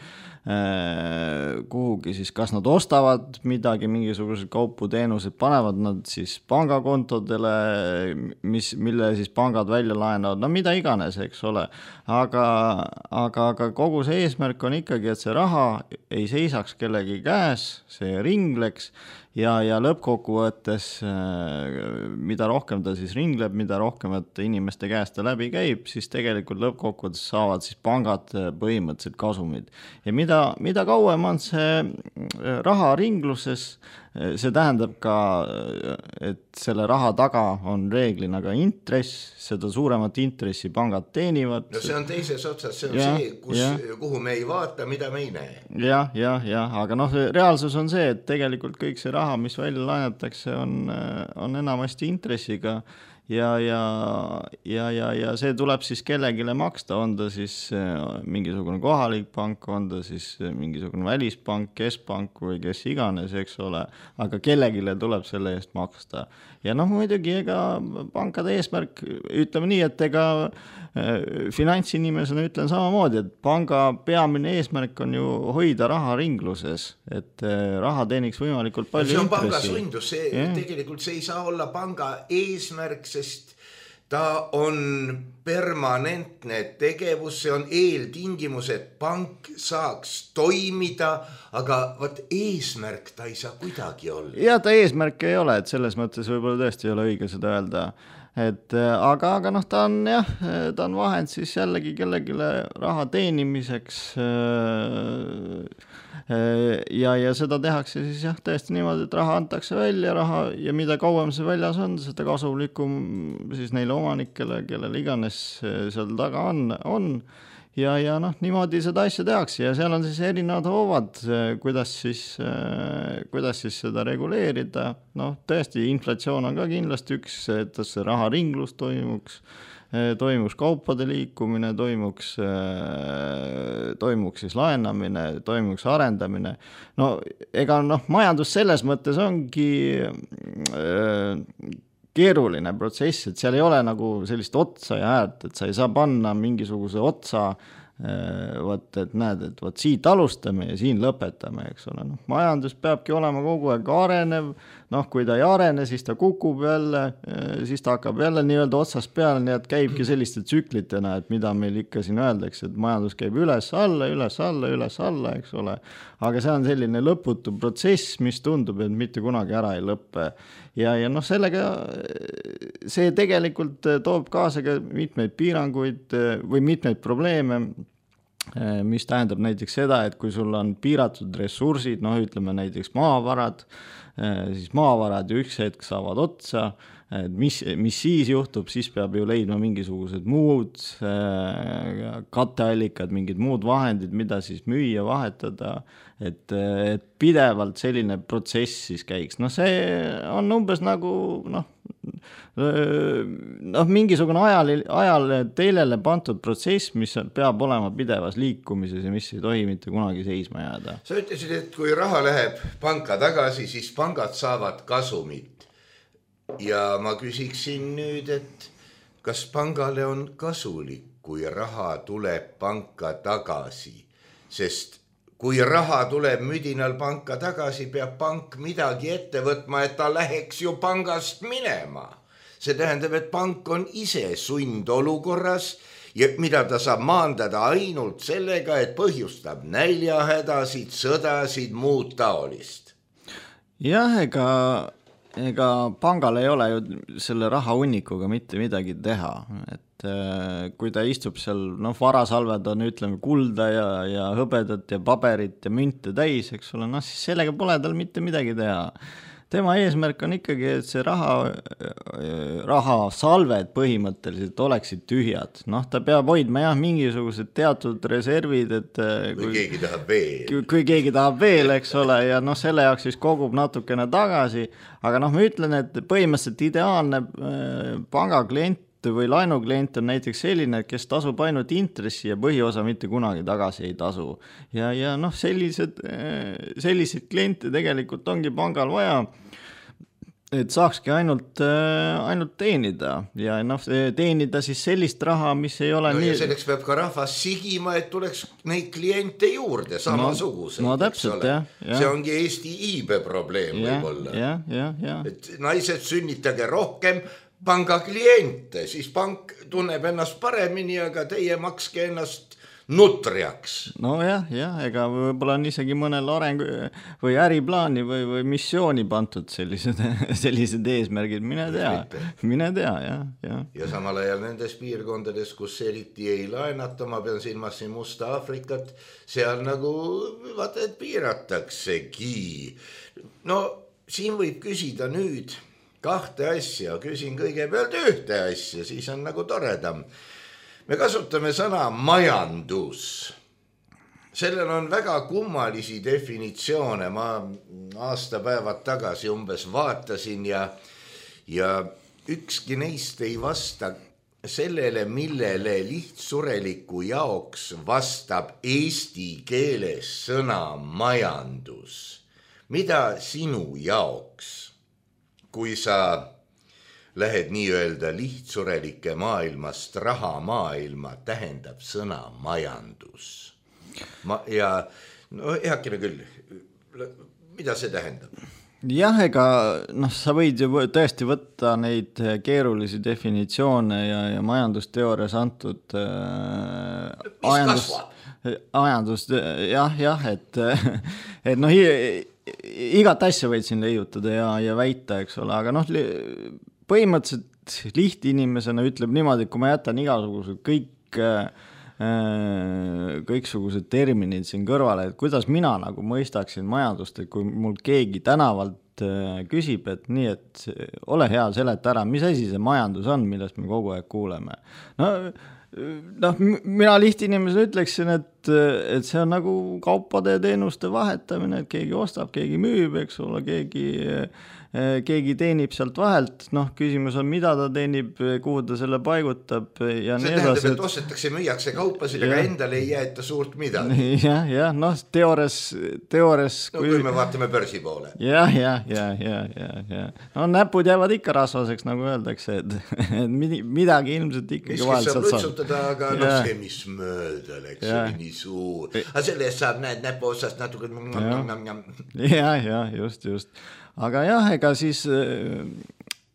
kuhugi siis, kas nad ostavad midagi, mingisugused kaupu teenused, panevad nad siis pangakontodele, mis, mille siis pangad välja laenavad, no mida iganes, eks ole. Aga, aga, aga kogu see eesmärk on ikkagi, et see raha ei seisaks kellegi käes, see ringleks ja, ja lõppkokkuvõttes, mida rohkem ta siis ringleb, mida rohkem et inimeste käest ta läbi käib, siis tegelikult lõppkokkuvõttes saavad siis pangad põhimõtteliselt kasumid. Ja mida, mida kauem on see raha ringluses, see tähendab ka, et selle raha taga on reeglina ka intress, seda suuremat intressi pangad teenivad. No see on teises otsas, see on ja, see, kus, kuhu me ei vaata, mida me ei näe. Jah, jah, jah, aga noh, reaalsus on see, et tegelikult kõik see raha, mis välja laenatakse, on, on enamasti intressiga ja, ja, ja, ja, ja see tuleb siis kellegile maksta, on ta siis mingisugune kohalik pank, on ta siis mingisugune välispank, keskpank või kes iganes, eks ole, aga kellegile tuleb selle eest maksta. Ja noh, muidugi ega pankade eesmärk, ütleme nii, et ega finantsinimesena ütlen samamoodi, et panga peamine eesmärk on ju hoida raha ringluses, et raha teeniks võimalikult palju intressi. See on intressi. panga sundus, see, yeah. Tegelikult see ei saa olla panga eesmärk, sest ta on permanentne tegevus, see on eeltingimus, et pank saaks toimida, aga võt eesmärk ta ei saa kuidagi olla. Ja ta eesmärk ei ole, et selles mõttes võib-olla tõesti ei ole õige seda öelda. Et, aga, aga noh, ta on jah, ta on vahend siis jällegi kellegile raha teenimiseks ja, ja seda tehakse siis jah, tõesti niimoodi, et raha antakse välja raha ja mida kauem see väljas on, seda kasulikum siis neile omanikele, kellel iganes seal taga on, on. Ja, ja noh, niimoodi seda asja tehakse ja seal on siis erinevad hoovad, kuidas siis, kuidas siis seda reguleerida. Noh, tõesti, inflatsioon on ka kindlasti üks, et see raha ringlus toimuks. toimuks kaupade liikumine, toimuks, toimuks siis laenamine, toimuks arendamine. No ega noh, majandus selles mõttes ongi keeruline protsess, et seal ei ole nagu sellist otsa ja äärt, et sa ei saa panna mingisuguse otsa, võt, et näed, et võt siit alustame ja siin lõpetame, eks ole. No, majandus peabki olema kogu aeg arenev, noh, kui ta ei arene, siis ta kukub jälle, siis ta hakkab jälle nii-öelda otsast peale, nii et käibki selliste tsüklitena, et mida meil ikka siin öeldakse, et majandus käib üles alla, üles alla, üles alla, eks ole. Aga see on selline lõputu protsess, mis tundub, et mitte kunagi ära ei lõppe. Ja, ja noh, sellega see tegelikult toob kaasa ka mitmeid piiranguid või mitmeid probleeme, mis tähendab näiteks seda, et kui sul on piiratud ressursid, noh ütleme näiteks maavarad, siis maavarad ju üks hetk saavad otsa, mis, mis siis juhtub, siis peab ju leidma mingisugused muud katteallikad, mingid muud vahendid, mida siis müüa, vahetada, et, et pidevalt selline protsess siis käiks. No see on umbes nagu noh, noh mingisugune ajal, ajal teilele pantud protsess, mis peab olema pidevas liikumises ja mis ei tohi mitte kunagi seisma jääda. Sa ütlesid, et kui raha läheb panka tagasi, siis pangad saavad kasumit. Ja ma küsiksin nüüd, et kas pangale on kasulik, kui raha tuleb panka tagasi, sest kui raha tuleb müdinal panka tagasi, peab pank midagi ette võtma, et ta läheks ju pangast minema. See tähendab, et pank on ise sundolukorras, ja mida ta saab maandada ainult sellega, et põhjustab näljahädasid, sõdasid, muud taolist. Jah, ega, ega pangal ei ole ju selle raha hunnikuga mitte midagi teha, et kui ta istub seal, noh varasalved on ütleme kulda ja, ja hõbedat ja paberit ja münte täis, eks ole, noh siis sellega pole tal mitte midagi teha. Tema eesmärk on ikkagi, et see raha, raha salved põhimõtteliselt oleksid tühjad. Noh, ta peab hoidma jah, mingisugused teatud reservid, et kui, kui keegi tahab veel. Kui, kui keegi tahab veel, eks ole, ja noh, selle jaoks siis kogub natukene tagasi. Aga noh, ma ütlen, et põhimõtteliselt ideaalne panga klient või laenuklient on näiteks selline, kes tasub ainult intressi ja põhiosa mitte kunagi tagasi ei tasu. Ja, ja noh, sellised, sellised kliente tegelikult ongi pangal vaja, et saakski ainult, ainult teenida ja noh, teenida siis sellist raha, mis ei ole no nii... Ja selleks peab ka rahvas sigima, et tuleks neid kliente juurde samasugused. No, no täpselt, jah. Ja. See ongi Eesti iibe probleem ja, võib-olla. Ja, ja, ja. Et naised sünnitage rohkem panga kliente, siis pank tunneb ennast paremini, aga teie makske ennast nutriaks. No jah, jah, ega võib-olla on isegi mõnel areng või äriplaani või, või missiooni pantud sellised, sellised eesmärgid, mine tea, mine tea, jah, jah. Ja samal ajal nendes piirkondades, kus eriti ei laenata, ma pean silmas siin Musta Afrikat, seal nagu vaata, et piirataksegi. No siin võib küsida nüüd kahte asja, küsin kõigepealt ühte asja, siis on nagu toredam. Me kasutame sõna majandus. Sellel on väga kummalisi definitsioone, ma aastapäevad tagasi umbes vaatasin ja, ja ükski neist ei vasta sellele, millele lihtsureliku jaoks vastab eesti keeles sõna majandus. Mida sinu jaoks? Kui sa lähed nii-öelda lihtsurelike maailmast raha maailma, tähendab sõna majandus. Ma, ja no heakene küll, mida see tähendab? Jah, ega noh, sa võid ju tõesti võtta neid keerulisi definitsioone ja, ja majandusteoorias antud äh, ajandus, ajandust, jah, jah, et, et noh, igat asja võid siin leiutada ja, ja väita, eks ole, aga noh, põhimõtteliselt lihtinimesena ütleb niimoodi, et kui ma jätan igasugused kõik, kõiksugused terminid siin kõrvale, et kuidas mina nagu mõistaksin majandust, et kui mul keegi tänavalt küsib, et nii, et ole hea, seleta ära, mis asi see majandus on, millest me kogu aeg kuuleme. No noh, mina lihtinimesele ütleksin, et, et see on nagu kaupade ja teenuste vahetamine, et keegi ostab, keegi müüb, eks ole, keegi, keegi teenib sealt vahelt, noh, küsimus on, mida ta teenib, kuhu ta selle paigutab ja see tähendab, et ostetakse, müüakse kaupasid, aga endale ei jäeta suurt midagi. jah, jah, noh, teoores, teoores no kui, kui me vaatame börsi poole. jah, jah, jah, jah, jah, jah. No näpud jäävad ikka rasvaseks, nagu öeldakse, et, et midagi ilmselt ikkagi vahel saab lutsutada, aga noh, see, mis mööda läks, see oli nii suur. Aga selle eest saab, näed, näpu otsast natuke. jah, jah, just, just. Aga jah, ega siis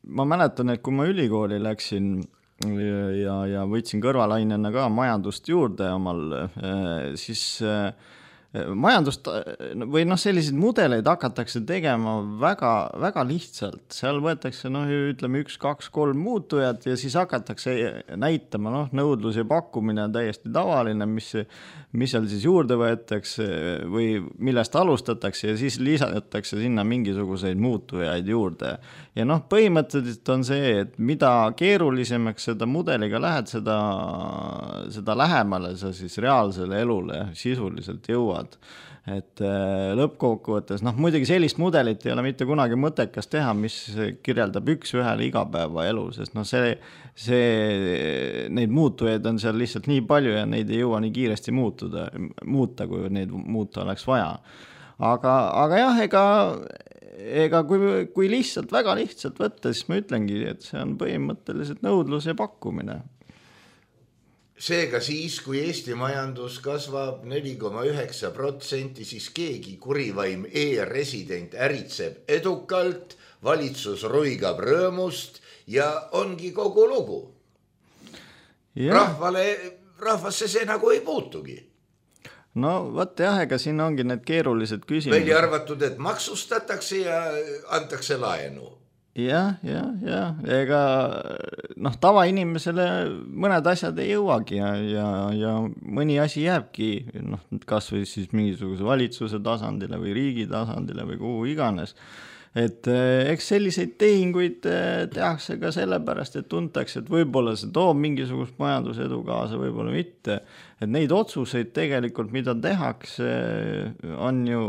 ma mäletan, et kui ma ülikooli läksin ja, ja võtsin kõrvalainena ka majandust juurde omal, siis majandust või noh, selliseid mudeleid hakatakse tegema väga, väga lihtsalt. Seal võetakse, noh, ütleme üks, kaks, kolm muutujat ja siis hakatakse näitama, noh, nõudlus ja pakkumine on täiesti tavaline, mis, mis seal siis juurde võetakse või millest alustatakse ja siis lisatakse sinna mingisuguseid muutujaid juurde. Ja noh, põhimõtteliselt on see, et mida keerulisemaks seda mudeliga lähed, seda, seda lähemale sa siis reaalsele elule sisuliselt jõuad. Et lõppkokkuvõttes, noh, muidugi sellist mudelit ei ole mitte kunagi mõttekas teha, mis kirjeldab üks ühele igapäeva elu, sest noh, see, see, neid muutujaid on seal lihtsalt nii palju ja neid ei jõua nii kiiresti muutuda, muuta, kui neid muuta oleks vaja. Aga, aga jah, ega, ega kui, kui lihtsalt, väga lihtsalt võtta, siis ma ütlengi, et see on põhimõtteliselt nõudlus ja pakkumine. Seega siis, kui Eesti majandus kasvab neli koma üheksa protsenti, siis keegi kurivaim e-resident äritseb edukalt, valitsus ruigab rõõmust ja ongi kogu lugu. Ja. Rahvale, rahvasse see nagu ei puutugi. No võt jah, ega siin ongi need keerulised küsimused. Välja arvatud, et maksustatakse ja antakse laenu. Jah, jah, jah, ega noh, tavainimesele mõned asjad ei jõuagi ja, ja, ja mõni asi jääbki, noh, kas või siis mingisuguse valitsuse tasandile või riigi tasandile või kuhu iganes. Et eks selliseid tehinguid tehakse ka sellepärast, et tuntakse, et võib-olla see toob mingisugust majandusedu kaasa, võib-olla mitte. Et neid otsuseid tegelikult, mida tehakse, on ju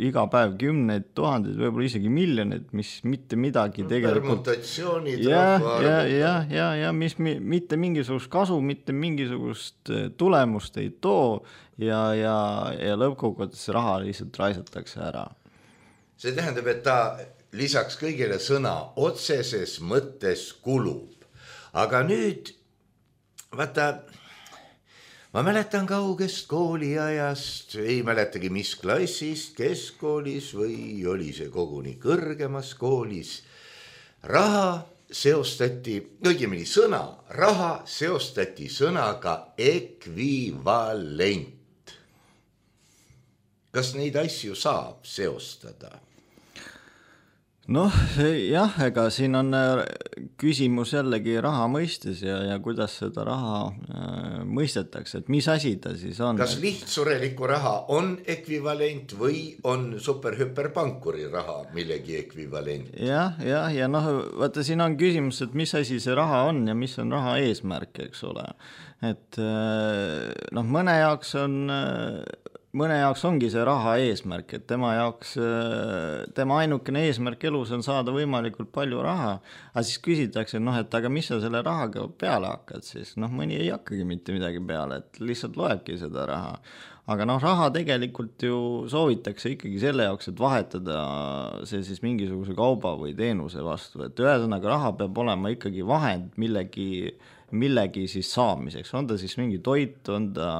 iga päev kümneid tuhandeid, võib-olla isegi miljoneid, mis mitte midagi tegelikult... Permutatsioonid, ja, ja, ja, ja, ja mis mitte mingisugust kasu, mitte mingisugust tulemust ei too ja, ja, ja lõppkokkuvõttes raha lihtsalt raisatakse ära. See tähendab, et ta lisaks kõigile sõna otseses mõttes kulub. Aga nüüd, vaata, ma mäletan kaugest kooliajast, ei mäletagi mis klassist, keskkoolis või oli see koguni kõrgemas koolis. Raha seostati, õigemini sõna, raha seostati sõnaga ekvivalent. Kas neid asju saab seostada? Noh, jah, ega siin on küsimus jällegi raha mõistes ja, ja kuidas seda raha äh, mõistetakse, et mis asi ta siis on. Kas lihtsureliku raha on ekvivalent või on superhüperpankuri raha millegi ekvivalent? Jah, jah, ja noh, vaata siin on küsimus, et mis asi see raha on ja mis on raha eesmärk, eks ole. Et äh, noh, mõne jaoks on... Äh, mõne jaoks ongi see raha eesmärk, et tema jaoks, tema ainukene eesmärk elus on saada võimalikult palju raha, aga siis küsitakse, noh, et aga mis sa selle rahaga peale hakkad siis, noh, mõni ei hakkagi mitte midagi peale, et lihtsalt loebki seda raha, aga noh, raha tegelikult ju soovitakse ikkagi selle jaoks, et vahetada see siis mingisuguse kauba või teenuse vastu, et ühesõnaga raha peab olema ikkagi vahend millegi, millegi siis saamiseks, on ta siis mingi toit, on ta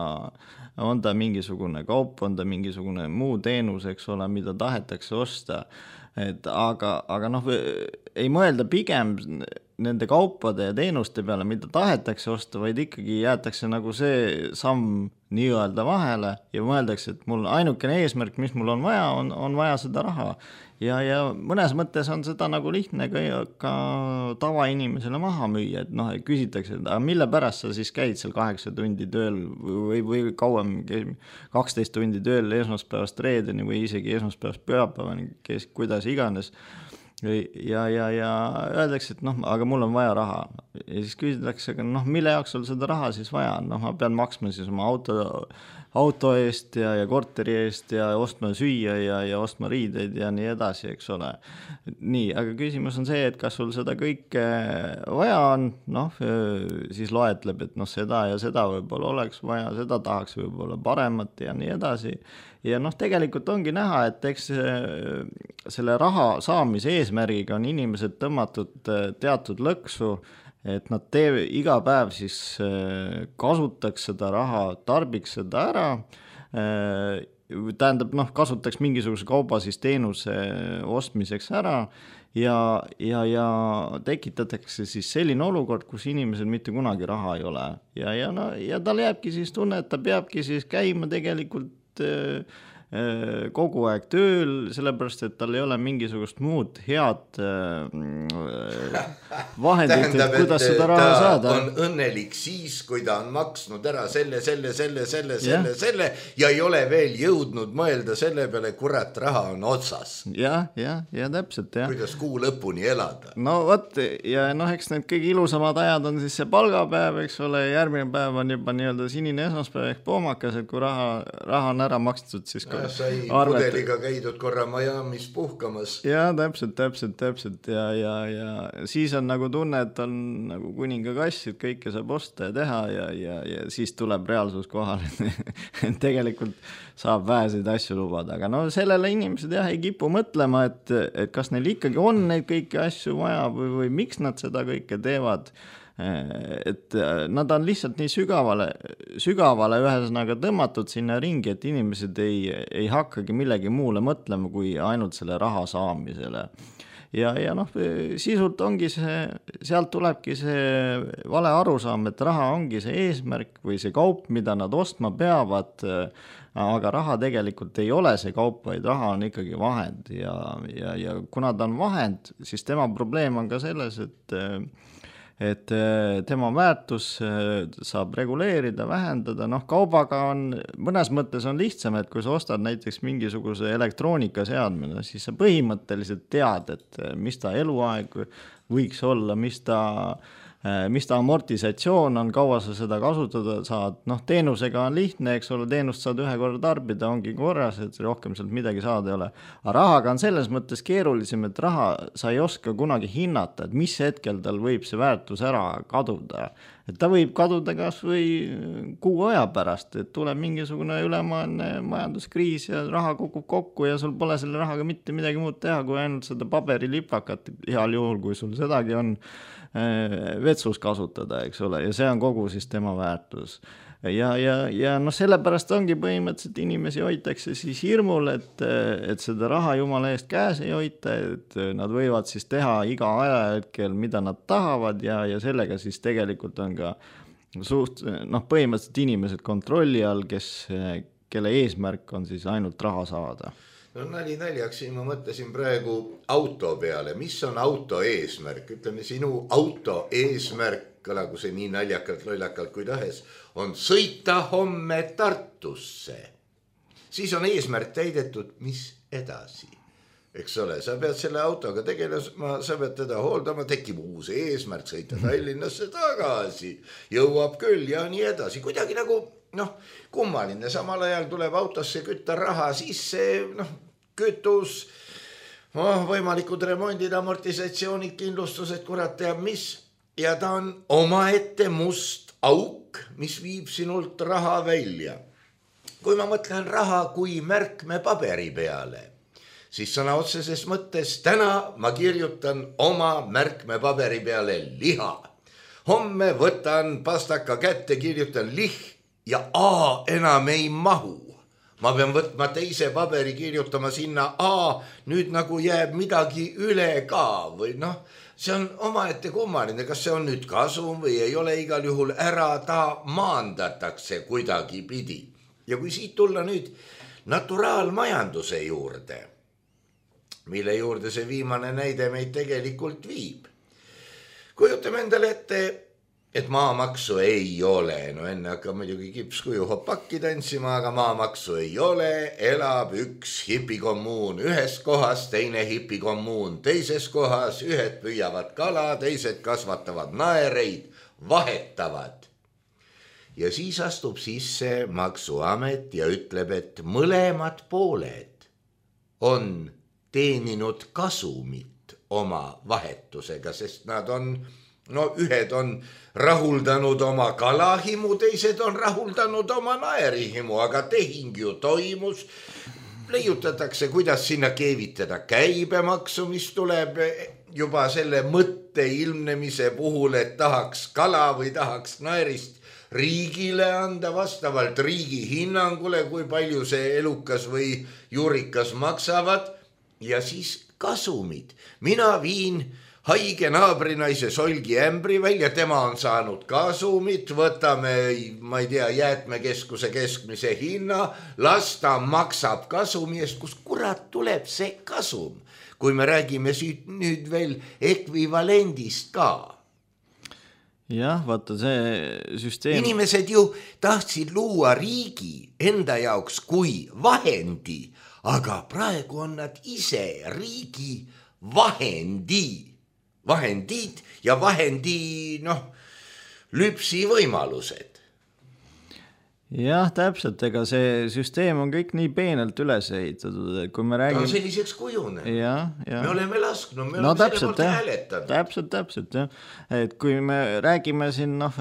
on ta mingisugune kaup, on ta mingisugune muu teenus, eks ole, mida tahetakse osta. Et aga, aga noh, ei mõelda pigem nende kaupade ja teenuste peale, mida tahetakse osta, vaid ikkagi jäetakse nagu see samm nii-öelda vahele ja mõeldakse, et mul ainukene eesmärk, mis mul on vaja, on, on vaja seda raha. Ja, ja mõnes mõttes on seda nagu lihtne ka, ka tavainimesele maha müüa, et noh, küsitakse, et aga mille pärast sa siis käid seal kaheksa tundi tööl või, või kauem kaksteist tundi tööl esmaspäevast reedeni või isegi esmaspäevast pühapäevani, kes, kuidas iganes. ja, ja, ja öeldakse, et noh, aga mul on vaja raha ja siis küsitakse, aga noh, mille jaoks sul seda raha siis vaja on, noh, ma pean maksma siis oma auto, auto eest ja, ja korteri eest ja ostma süüa ja, ja ostma riideid ja nii edasi, eks ole. Nii, aga küsimus on see, et kas sul seda kõike vaja on, noh, siis loetleb, et noh, seda ja seda võib-olla oleks vaja, seda tahaks võib-olla paremat ja nii edasi. Ja noh, tegelikult ongi näha, et eks selle raha saamise eesmärgiga on inimesed tõmmatud teatud lõksu, et nad tee, iga päev siis kasutaks seda raha, tarbiks seda ära, tähendab, noh, kasutaks mingisuguse kauba siis teenuse ostmiseks ära ja, ja, ja tekitatakse siis selline olukord, kus inimesel mitte kunagi raha ei ole. Ja, ja, no, ja tal jääbki siis tunne, et ta peabki siis käima tegelikult kogu aeg tööl, sellepärast, et tal ei ole mingisugust muud head vahendit, tähendab, et kuidas seda raha ta saada. On õnnelik siis, kui ta on maksnud ära selle, selle, selle, selle, selle, selle ja ei ole veel jõudnud mõelda selle peale, kurat, raha on otsas. Ja, ja, ja täpselt, jah. Kuidas kuu lõpuni elada. No võt, ja noh, eks need kõige ilusamad ajad on siis see palgapäev, eks ole, järgmine päev on juba nii-öelda sinine esmaspäev ehk poomakas, et kui raha, raha on ära makstud, siis ja, sai arvet... pudeliga käidud korra Miami's puhkamas. Ja, täpselt, täpselt, täpselt ja, ja, ja siis on nagu tunne, et on nagu kuninga kass, et kõike saab osta ja teha ja, ja, ja siis tuleb reaalsus kohale. Tegelikult saab väheseid asju lubada, aga no sellele inimesed jah ei kipu mõtlema, et, et kas neil ikkagi on neid kõiki asju vaja või, või miks nad seda kõike teevad. Et nad on lihtsalt nii sügavale, sügavale ühesõnaga tõmmatud sinna ringi, et inimesed ei, ei hakkagi millegi muule mõtlema kui ainult selle raha saamisele. Ja, ja noh, sisult ongi see, sealt tulebki see vale arusaam, et raha ongi see eesmärk või see kaup, mida nad ostma peavad, aga raha tegelikult ei ole see kaup, vaid raha on ikkagi vahend ja, ja, ja kuna ta on vahend, siis tema probleem on ka selles, et et tema väärtus saab reguleerida, vähendada, noh kaubaga on, mõnes mõttes on lihtsam, et kui sa ostad näiteks mingisuguse elektroonikaseadmine, siis sa põhimõtteliselt tead, et mis ta eluaeg võiks olla, mis ta, mis ta amortisatsioon on, kaua sa seda kasutada saad, noh teenusega on lihtne, eks ole, teenust saad ühe korra tarbida, ongi korras, et rohkem sealt midagi saada ei ole. Aga rahaga on selles mõttes keerulisem, et raha sa ei oska kunagi hinnata, et mis hetkel tal võib see väärtus ära kaduda. Et ta võib kaduda kas või kuu aja pärast, et tuleb mingisugune ülemaailmne majanduskriis ja raha kukub kokku ja sul pole selle rahaga mitte midagi muud teha, kui ainult seda paberilipakat heal juhul, kui sul sedagi on vetsus kasutada, eks ole, ja see on kogu siis tema väärtus. Ja, ja, ja noh, sellepärast ongi põhimõtteliselt inimesi hoitakse siis hirmul, et, et seda raha jumala eest käes ei hoita, et nad võivad siis teha iga ajahetkel, mida nad tahavad ja, ja sellega siis tegelikult on ka suht, noh, põhimõtteliselt inimesed kontrolli all, kes, kelle eesmärk on siis ainult raha saada. No nali naljaks, ma mõtlesin praegu auto peale. Mis on auto eesmärk? Ütleme, sinu auto eesmärk, kõlagu see nii naljakalt, lollakalt kui tahes, on sõita homme Tartusse. Siis on eesmärk täidetud, mis edasi? Eks ole, sa pead selle autoga tegelema, sa pead teda hooldama, tekib uus eesmärk, sõita Tallinnasse tagasi, jõuab küll ja nii edasi. Kuidagi nagu, noh, kummaline, samal ajal tuleb autosse kütta raha sisse, noh, kütus, oh, võimalikud remondid, amortisatsioonid, kindlustused, kurat teab mis. Ja ta on omaette must auk, mis viib sinult raha välja. Kui ma mõtlen raha kui märkme paberi peale, siis sõna otseses mõttes täna ma kirjutan oma märkme paberi peale liha. Homme võtan pastaka kätte, kirjutan lih ja A enam ei mahu. Ma pean võtma teise paberi, kirjutama sinna A, nüüd nagu jääb midagi üle ka või noh, see on omaette kummaline, kas see on nüüd kasum või ei ole, igal juhul ära ta maandatakse kuidagi pidi. Ja kui siit tulla nüüd naturaalmajanduse juurde, mille juurde see viimane näide meid tegelikult viib. Kujutame endale ette et maamaksu ei ole, no enne hakkab muidugi kipskuju hopakki tantsima, aga maamaksu ei ole, elab üks hipikommuun ühes kohas, teine hipikommuun teises kohas, ühed püüavad kala, teised kasvatavad naereid, vahetavad. Ja siis astub sisse maksuamet ja ütleb, et mõlemad pooled on teeninud kasumit oma vahetusega, sest nad on no ühed on rahuldanud oma kalahimu, teised on rahuldanud oma naerihimu, aga tehing ju toimus. Leiutatakse, kuidas sinna keevitada käibemaksu, mis tuleb juba selle mõtte ilmnemise puhul, et tahaks kala või tahaks naerist riigile anda vastavalt riigi hinnangule, kui palju see elukas või juurikas maksavad ja siis kasumid. Mina viin haige naabrinaise solgi ämbri välja, tema on saanud kasumit, võtame, ma ei tea, jäätmekeskuse keskmise hinna, las ta maksab kasumi eest, kus kurat tuleb see kasum, kui me räägime siit nüüd veel ekvivalendist ka. Jah, vaata see süsteem. Inimesed ju tahtsid luua riigi enda jaoks kui vahendi, aga praegu on nad ise riigi vahendi. Vahendid ja vahendi, noh, lüpsi võimalused. Jah, täpselt, ega see süsteem on kõik nii peenelt üles ehitatud, et kui me räägime... Ta on selliseks kujune. Ja, ja. Me oleme lasknud, me no, oleme täpselt, selle poolt hääletanud. Täpselt, täpselt, jah. Et kui me räägime siin noh,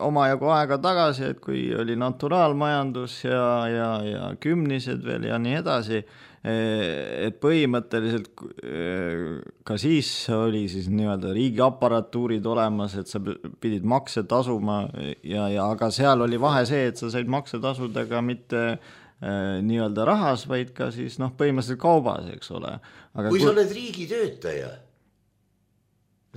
omajagu aega tagasi, et kui oli naturaalmajandus ja, ja, ja kümnised veel ja nii edasi, et põhimõtteliselt ka siis oli siis nii-öelda riigiaparatuurid olemas, et sa pidid makse tasuma ja, ja aga seal oli vahe see, et sa said makse tasudega mitte nii-öelda rahas, vaid ka siis noh, põhimõtteliselt kaubas, eks ole. Aga kui sa oled riigitöötaja,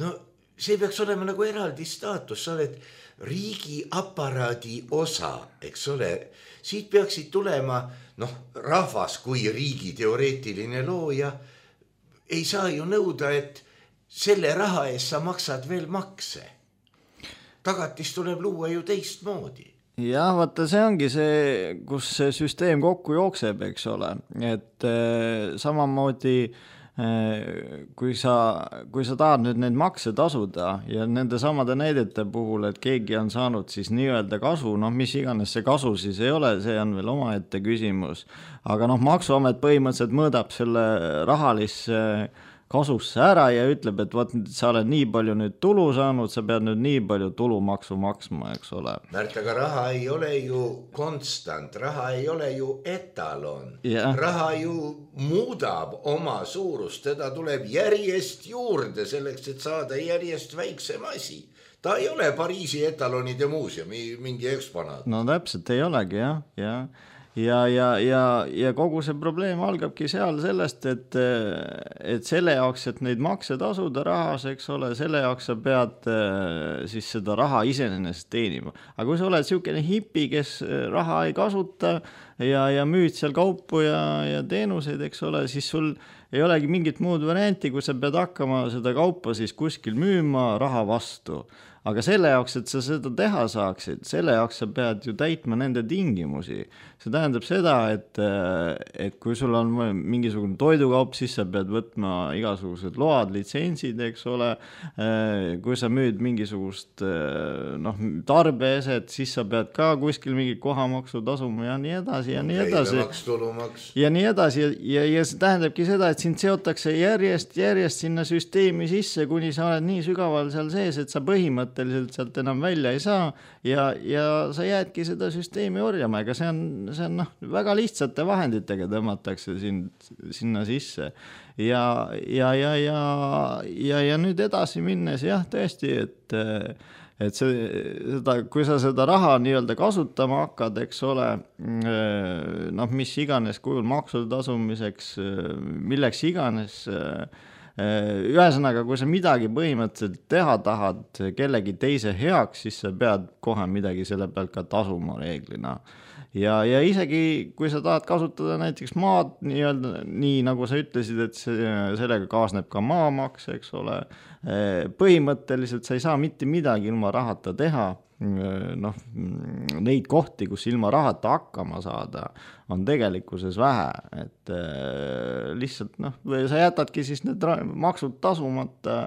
no see peaks olema nagu eraldi staatus, sa oled riigiaparaadi osa, eks ole, siit peaksid tulema noh, rahvas kui riigi teoreetiline looja ei saa ju nõuda, et selle raha eest sa maksad veel makse. Tagatis tuleb luua ju teistmoodi. Jah, vaata see ongi see, kus see süsteem kokku jookseb, eks ole, et äh, samamoodi kui sa, kui sa tahad nüüd neid makse tasuda ja nende samade näidete puhul, et keegi on saanud siis nii-öelda kasu, noh mis iganes see kasu siis ei ole, see on veel omaette küsimus, aga noh maksuamet põhimõtteliselt mõõdab selle rahalisse kasusse ära ja ütleb, et vaat sa oled nii palju nüüd tulu saanud, sa pead nüüd nii palju tulumaksu maksma, eks ole. Märt, aga raha ei ole ju konstant, raha ei ole ju etalon. Yeah. Raha ju muudab oma suurust, teda tuleb järjest juurde selleks, et saada järjest väiksem asi. Ta ei ole Pariisi etalonide muuseumi mingi eksponaat. No täpselt ei olegi, jah, jah. Ja, ja, ja, ja kogu see probleem algabki seal sellest, et, et selle jaoks, et neid makse tasuda rahas, eks ole, selle jaoks sa pead siis seda raha iseenesest teenima. Aga kui sa oled selline hipi, kes raha ei kasuta ja, ja müüd seal kaupu ja, ja teenuseid, eks ole, siis sul ei olegi mingit muud varianti, kui sa pead hakkama seda kaupa siis kuskil müüma raha vastu. Aga selle jaoks, et sa seda teha saaksid, selle jaoks sa pead ju täitma nende tingimusi. See tähendab seda, et, et kui sul on mingisugune toidukaup, siis sa pead võtma igasugused load, litsentsid, eks ole. Kui sa müüd mingisugust noh, tarbeeset, siis sa pead ka kuskil mingi kohamaksu tasuma ja nii edasi ja nii edasi. Käibemaks, tulumaks. Ja nii edasi ja, ja, ja see tähendabki seda, et sind seotakse järjest, järjest sinna süsteemi sisse, kuni sa oled nii sügaval seal sees, et sa põhimõtteliselt sealt enam välja ei saa ja, ja sa jäädki seda süsteemi orjama, ega see on, see on noh, väga lihtsate vahenditega tõmmatakse sind, sinna sisse ja, ja, ja, ja, ja, ja nüüd edasi minnes jah, tõesti, et, et see, seda, kui sa seda raha nii-öelda kasutama hakkad, eks ole, noh, mis iganes kujul maksude tasumiseks, milleks iganes ühesõnaga, kui sa midagi põhimõtteliselt teha tahad kellegi teise heaks, siis sa pead kohe midagi selle pealt ka tasuma reeglina. Ja, ja isegi kui sa tahad kasutada näiteks maad nii-öelda, nii nagu sa ütlesid, et see, sellega kaasneb ka maamaks, eks ole, põhimõtteliselt sa ei saa mitte midagi ilma rahata teha, noh, neid kohti, kus ilma rahata hakkama saada, on tegelikkuses vähe, et lihtsalt, noh, sa jätadki siis need maksud tasumata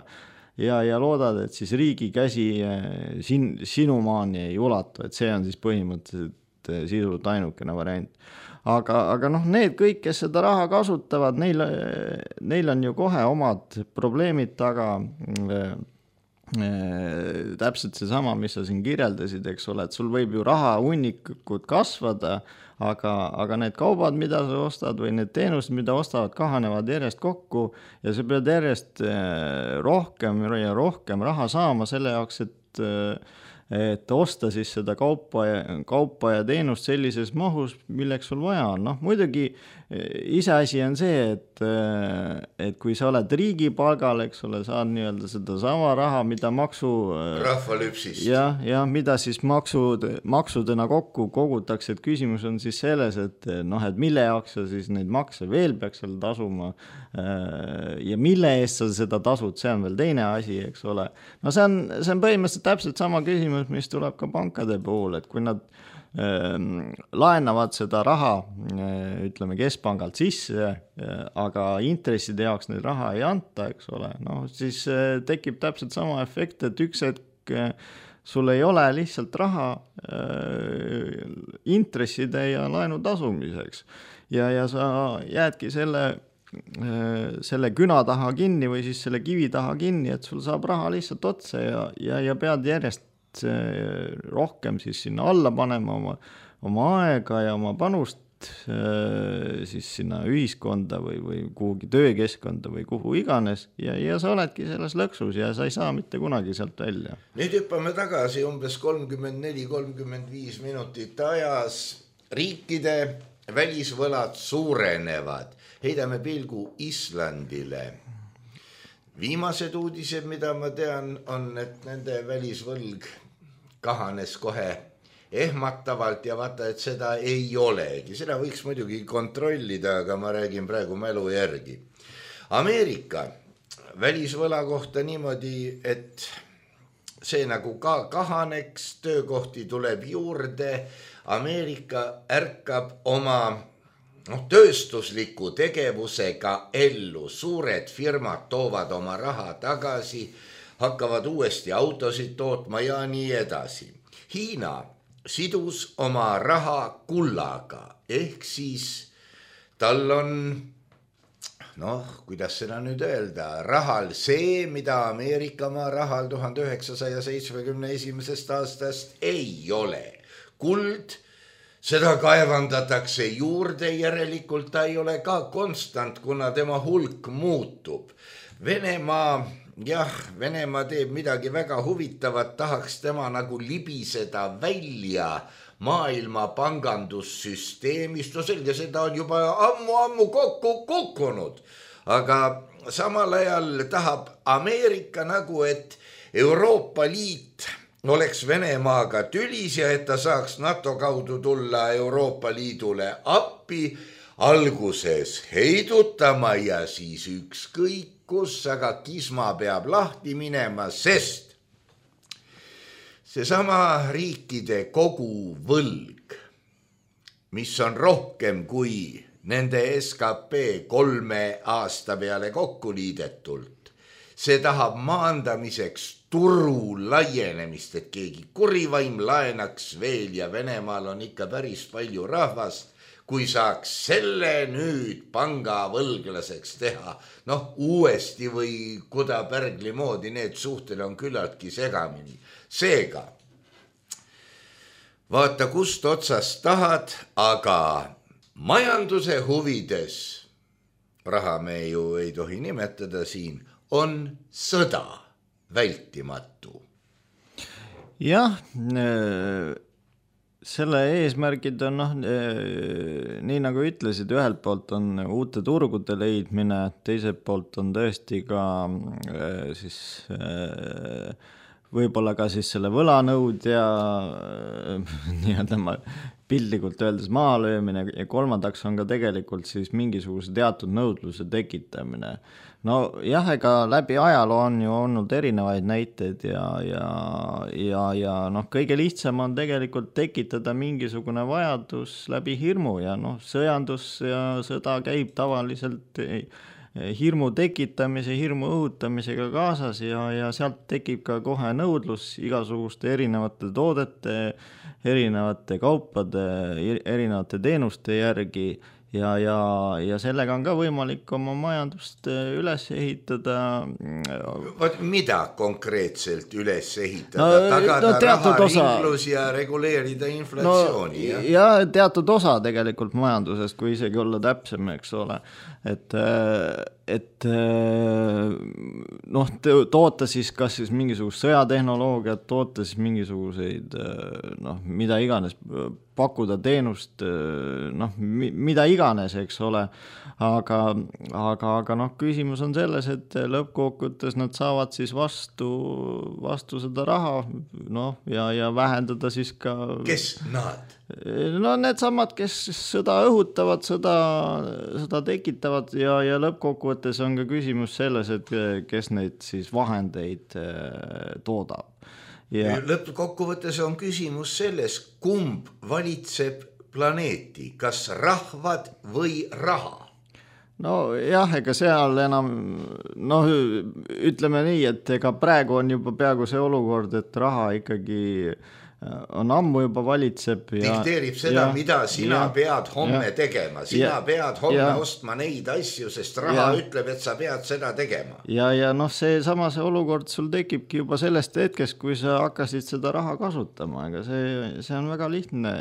ja, ja loodad, et siis riigi käsi sin, sinu maani ei ulatu, et see on siis põhimõtteliselt sisult ainukene variant. Aga, aga noh, need kõik, kes seda raha kasutavad, neil, neil on ju kohe omad probleemid taga, täpselt see sama, mis sa siin kirjeldasid, eks ole, et sul võib ju raha hunnikud kasvada, aga, aga need kaubad, mida sa ostad või need teenused, mida ostavad, kahanevad järjest kokku ja sa pead järjest rohkem ja rohkem raha saama selle jaoks, et et osta siis seda kaupa ja, kaupa ja teenust sellises mahus, milleks sul vaja on. Noh, muidugi iseasi on see, et, et kui sa oled riigi palgal, eks ole, saad nii-öelda seda sama raha, mida maksu... Rahvalüpsist. Ja, ja mida siis maksud, maksudena kokku kogutakse, et küsimus on siis selles, et, noh, et mille jaoks sa siis neid makse veel peaks seal tasuma ja mille eest sa seda tasud, see on veel teine asi, eks ole. No see on, see on põhimõtteliselt täpselt sama küsimus, mis tuleb ka pankade puhul, et kui nad äh, laenavad seda raha, äh, ütleme keskpangalt sisse, äh, aga intresside jaoks neid raha ei anta, eks ole, no siis äh, tekib täpselt sama efekt, et üks hetk äh, sul ei ole lihtsalt raha äh, intresside ja laenu tasumiseks ja, ja sa jäädki selle selle küna taha kinni või siis selle kivi taha kinni, et sul saab raha lihtsalt otsa ja, ja, ja pead järjest rohkem siis sinna alla panema oma, oma aega ja oma panust siis sinna ühiskonda või, või kuhugi töökeskkonda või kuhu iganes ja, ja sa oledki selles lõksus ja sa ei saa mitte kunagi sealt välja. Nüüd hüppame tagasi umbes kolmkümmend neli kolmkümmend viis minutit ajas. Riikide välisvõlad suurenevad. Heidame pilgu Islandile. Viimased uudised, mida ma tean, on, et nende välisvõlg kahanes kohe ehmatavalt ja vaata, et seda ei olegi. Seda võiks muidugi kontrollida, aga ma räägin praegu mälu järgi. Ameerika välisvõla kohta niimoodi, et see nagu ka kahaneks, töökohti tuleb juurde, Ameerika ärkab oma no, tööstusliku tegevusega ellu. Suured firmad toovad oma raha tagasi, hakkavad uuesti autosid tootma ja nii edasi. Hiina sidus oma raha kullaga, ehk siis tal on, noh, kuidas seda nüüd öelda, rahal see, mida Ameerika maa rahal tuhande üheksasaja seitsmekümne esimesest aastast ei ole. Kuld, seda kaevandatakse juurde, järelikult ta ei ole ka konstant, kuna tema hulk muutub. Venemaa, jah, Venemaa teeb midagi väga huvitavat, tahaks tema nagu libiseda välja maailma pangandussüsteemist. No selge, seda on juba ammu-ammu kokku kukkunud, aga samal ajal tahab Ameerika nagu, et Euroopa Liit oleks Venemaaga tülis ja et ta saaks NATO kaudu tulla Euroopa Liidule appi, alguses heidutama ja siis ükskõik kus, aga kisma peab lahti minema, sest seesama riikide kogu võlg, mis on rohkem kui nende S K P kolme aasta peale kokku liidetult, see tahab maandamiseks turu laienemist, et keegi kurivaim laenaks veel ja Venemaal on ikka päris palju rahvast, kui saaks selle nüüd panga võlglaseks teha. Noh, uuesti või Kuda-Pärgli moodi need suhted on küllaltki segamini. Seega, vaata kust otsast tahad, aga majanduse huvides, raha me ju ei tohi nimetada siin, on sõda vältimatu. Jah, selle eesmärgid on noh, nii nagu ütlesid, ühelt poolt on uute turgude leidmine, teiselt poolt on tõesti ka siis võib-olla ka siis selle võlanõudja nii-öelda ma piltlikult öeldes maalöömine ja kolmandaks on ka tegelikult siis mingisuguse teatud nõudluse tekitamine. No jah, ega läbi ajaloo on ju olnud erinevaid näiteid ja, ja, ja, ja noh, kõige lihtsam on tegelikult tekitada mingisugune vajadus läbi hirmu ja noh, sõjandus ja sõda käib tavaliselt hirmu tekitamise, hirmu õhutamisega kaasas ja, ja sealt tekib ka kohe nõudlus igasuguste erinevate toodete, erinevate kaupade, erinevate teenuste järgi ja, ja, ja sellega on ka võimalik oma majandust üles ehitada. Mida konkreetselt üles ehitada? No, tagada no, raharinglus ja reguleerida inflatsiooni? No, ja? ja teatud osa tegelikult majandusest, kui isegi olla täpsem, eks ole. Et, et noh, toota siis kas siis mingisugust sõjatehnoloogiat, toota siis mingisuguseid noh, mida iganes, pakkuda teenust, noh, mida iganes, eks ole, aga, aga, aga noh, küsimus on selles, et lõppkokkuvõttes nad saavad siis vastu, vastu seda raha, noh, ja, ja vähendada siis ka... Kes nad? No need samad, kes sõda õhutavad, sõda, sõda tekitavad ja, ja lõppkokkuvõttes on ka küsimus selles, et kes neid siis vahendeid toodab. Ja... Lõppkokkuvõttes on küsimus selles, kumb valitseb planeeti, kas rahvad või raha? No jah, ega seal enam, noh, ütleme nii, et ega praegu on juba peaaegu see olukord, et raha ikkagi on ammu juba valitseb. Ja, dikteerib seda, ja, mida sina ja, pead homme ja, tegema. Sina ja, pead homme ja, ostma neid asju, sest raha ja, ütleb, et sa pead seda tegema. Ja, ja noh, see sama see olukord sul tekibki juba sellest hetkest, kui sa hakkasid seda raha kasutama. Ega see, see on väga lihtne.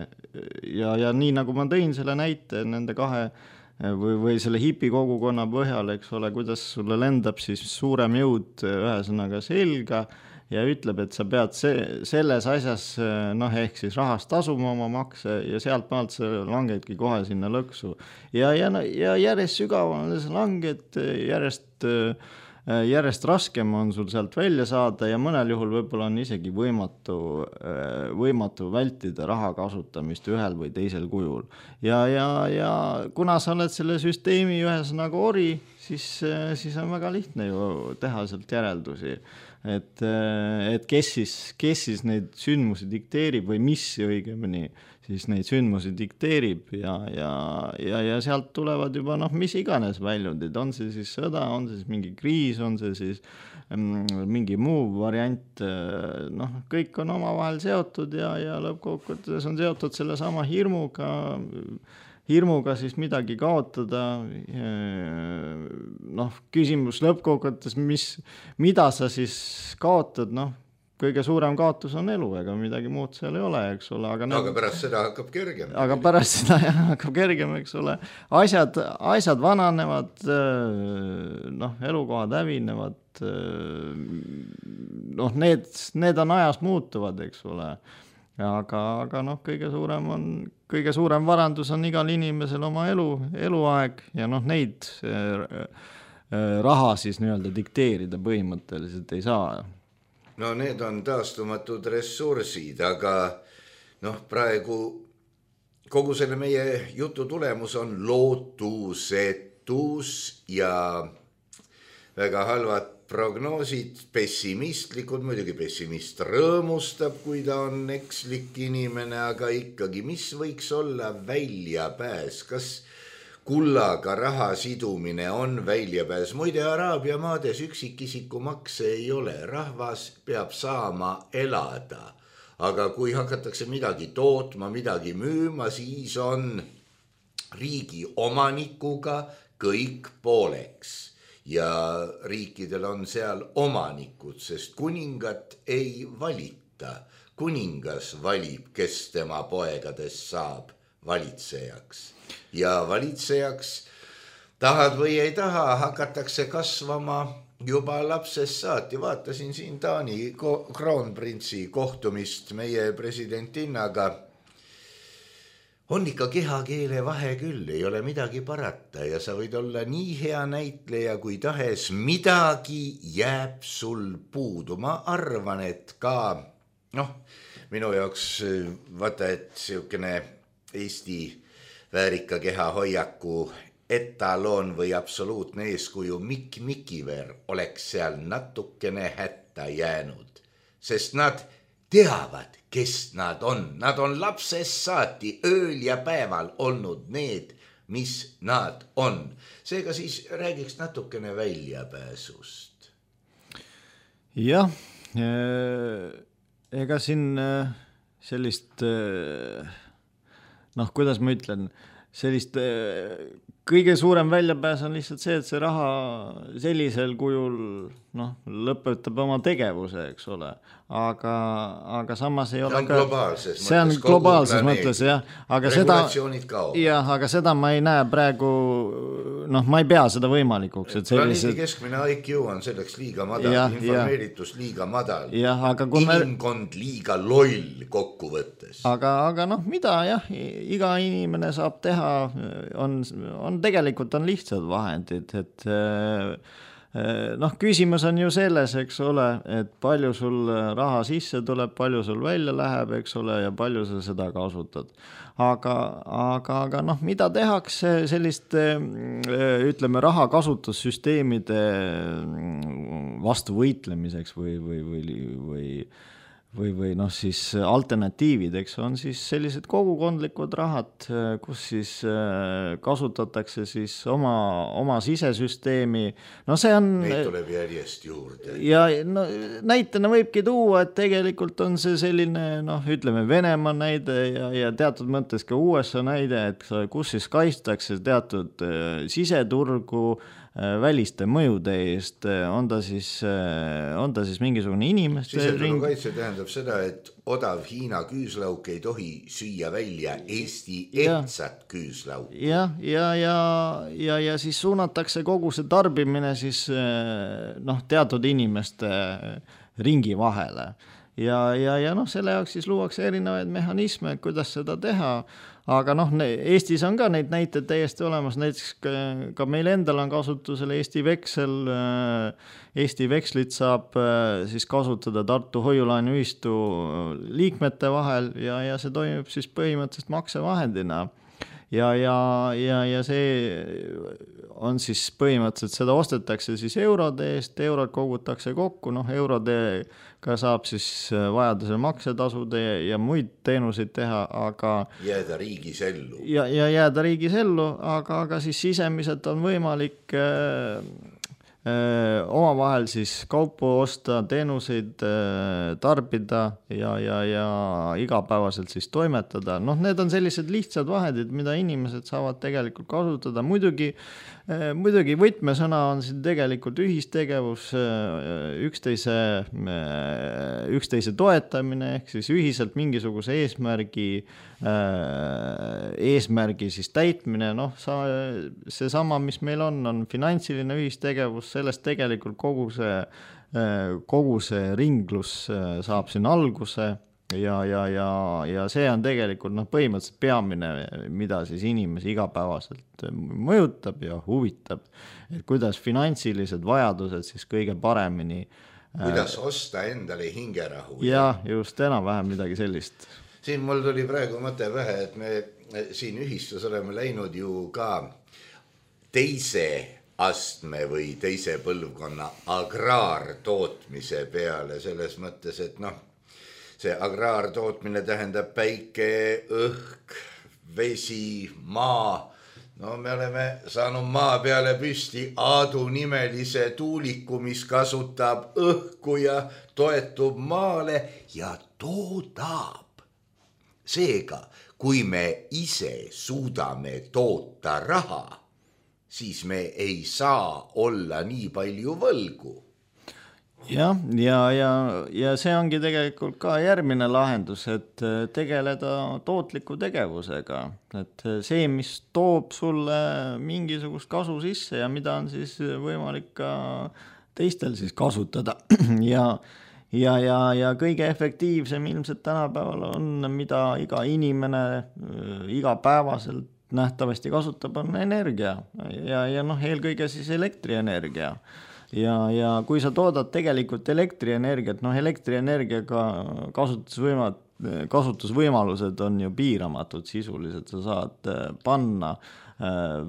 Ja, ja nii nagu ma tõin selle näite nende kahe või, või selle hipi kogukonna põhjal, eks ole, kuidas sulle lendab siis suurem jõud ühesõnaga selga ja ütleb, et sa pead see, selles asjas, noh, ehk siis rahast tasuma oma makse ja sealt maalt sa langedki kohe sinna lõksu. Ja, ja, ja järjest sügavamale sa langed, järjest, järjest raskem on sul sealt välja saada ja mõnel juhul võib-olla on isegi võimatu, võimatu vältida raha kasutamist ühel või teisel kujul. Ja, ja, ja kuna sa oled selle süsteemi ühesõnaga ori, siis, siis on väga lihtne ju teha sealt järeldusi. Et, et kes siis, kes siis neid sündmusi dikteerib või mis õigemini siis neid sündmusi dikteerib ja, ja, ja, ja sealt tulevad juba noh, mis iganes väljundid, on see siis sõda, on see siis mingi kriis, on see siis mm, mingi muu variant, noh, kõik on omavahel seotud ja, ja lõppkokkuvõttes on seotud selle sama hirmuga, hirmuga siis midagi kaotada, noh, küsimus lõppkokkuvõttes, mis, mida sa siis kaotad, noh, kõige suurem kaotus on elu, ega midagi muud seal ei ole, eks ole. Aga, need... aga pärast seda hakkab kergem. Aga pärast seda jah, hakkab kergem, eks ole. Asjad, asjad vananevad, noh, elukohad hävinevad, noh, need, need on ajas muutuvad, eks ole. Aga, aga noh, kõige suurem on, kõige suurem varandus on igal inimesel oma elu, eluaeg ja noh, neid raha siis nii-öelda dikteerida põhimõtteliselt ei saa. No need on taastumatud ressursid, aga noh, praegu kogu selle meie jutu tulemus on lootusetus ja väga halvad prognoosid, pessimistlikud, muidugi pessimist rõõmustab, kui ta on ekslik inimene, aga ikkagi, mis võiks olla väljapääs, kas kullaga raha sidumine on väljapääs? Muide, Araabia maades üksikisiku makse ei ole, rahvas peab saama elada, aga kui hakatakse midagi tootma, midagi müüma, siis on riigi omanikuga kõik pooleks. Ja riikidel on seal omanikud, sest kuningat ei valita. Kuningas valib, kes tema poegadest saab valitsejaks. Ja valitsejaks, tahad või ei taha, hakatakse kasvama juba lapsest saati. Vaatasin siin Taani kroonprintsi kohtumist meie presidentinnaga on ikka kehakeele vahe küll, ei ole midagi parata ja sa võid olla nii hea näitleja kui tahes, midagi jääb sul puudu. Ma arvan, et ka, noh, minu jaoks vaata, et siukene Eesti väärika keha hoiaku etaloon või absoluutne eeskuju Mikk Mikiver oleks seal natukene hätta jäänud, sest nad teavad, kes nad on. Nad on lapsest saati ööl ja päeval olnud need, mis nad on. Seega siis räägiks natukene väljapääsust. Jah, ega siin sellist, noh, kuidas ma ütlen, sellist kõige suurem väljapääs on lihtsalt see, et see raha sellisel kujul noh, lõpetab oma tegevuse, eks ole. Aga, aga samas ei ole ka... Globaalses see on globaalses mõttes, jah. Aga seda, jah, aga seda ma ei näe praegu, noh, ma ei pea seda võimalikuks. Et sellised... Planeedi keskmine I Q on selleks liiga madal, ja, informeeritus ja. Liiga madal, ja, aga kui inimkond me... liiga loll kokkuvõttes. Aga, aga noh, mida jah, iga inimene saab teha, on, on tegelikult on lihtsad vahendid, et noh, küsimus on ju selles, eks ole, et palju sul raha sisse tuleb, palju sul välja läheb, eks ole, ja palju sa seda kasutad. Aga, aga, aga noh, mida tehakse selliste, ütleme, raha kasutussüsteemide vastu võitlemiseks või, või, või, või või, või noh, siis alternatiivid, eks on siis sellised kogukondlikud rahad, kus siis kasutatakse siis oma, oma sisesüsteemi. No see on... Neid tuleb järjest juurde. Ja no, näitena võibki tuua, et tegelikult on see selline, noh, ütleme Venemaa näide ja, ja teatud mõttes ka U S A näide, et kus siis kaitstakse teatud siseturgu väliste mõjude eest, on ta siis, on ta siis mingisugune inimeste ring... Siseturu kaitse tähendab seda, et odav Hiina küüslauk ei tohi süüa välja Eesti etsat küüslauk. Ja, ja, ja, ja, ja siis suunatakse kogu see tarbimine siis noh, teatud inimeste ringi vahele. Ja, ja, ja noh, selle jaoks siis luuakse erinevaid mehhanisme, kuidas seda teha. Aga noh, Eestis on ka neid näiteid täiesti olemas, näiteks ka, ka meil endal on kasutusel Eesti veksel, Eesti vekslit saab siis kasutada Tartu hoiulaenuühistu liikmete vahel ja, ja see toimib siis põhimõtteliselt maksevahendina. Ja, ja, ja, ja see on siis põhimõtteliselt, seda ostetakse siis eurode eest, eurod kogutakse kokku, noh eurodega saab siis vajadusel maksetasude ja muid teenuseid teha, aga... Jääda riigis ellu. Ja, ja jääda riigis ellu, aga, aga siis sisemiselt on võimalik... oma vahel siis kaupu osta, teenuseid tarbida ja, ja, ja igapäevaselt siis toimetada. Noh, need on sellised lihtsad vahendid, mida inimesed saavad tegelikult kasutada. Muidugi, muidugi võtmesõna on siin tegelikult ühistegevus, üksteise, üksteise toetamine, ehk siis ühiselt mingisuguse eesmärgi, eesmärgi siis täitmine. Noh, see sama, mis meil on, on finantsiline ühistegevus, sellest tegelikult kogu see, kogu see ringlus saab siin alguse ja, ja, ja, ja see on tegelikult noh, põhimõtteliselt peamine, mida siis inimesi igapäevaselt mõjutab ja huvitab, et kuidas finantsilised vajadused siis kõige paremini kuidas osta endale hingerahu. Ja just enam-vähem midagi sellist. Siin mul tuli praegu mõte vähe, et me siin ühistus oleme läinud ju ka teise astme või teise põlvkonna agraartootmise peale selles mõttes, et noh, see agraartootmine tähendab päike, õhk, vesi, maa. No me oleme saanud maa peale püsti Aadu nimelise tuuliku, mis kasutab õhku ja toetub maale ja toodab. Seega, kui me ise suudame toota raha, siis me ei saa olla nii palju võlgu. Ja, ja, ja, ja see ongi tegelikult ka järgmine lahendus, et tegeleda tootliku tegevusega. Et see, mis toob sulle mingisugust kasu sisse ja mida on siis võimalik ka teistel siis kasutada. Ja, ja, ja, ja kõige efektiivsem ilmselt tänapäeval on, mida iga inimene igapäevaselt nähtavasti kasutab, on energia ja, ja noh, eelkõige siis elektrienergia. Ja, ja kui sa toodad tegelikult elektrienergiat, noh elektrienergiaga kasutusvõimad, kasutusvõimalused on ju piiramatud sisuliselt, sa saad panna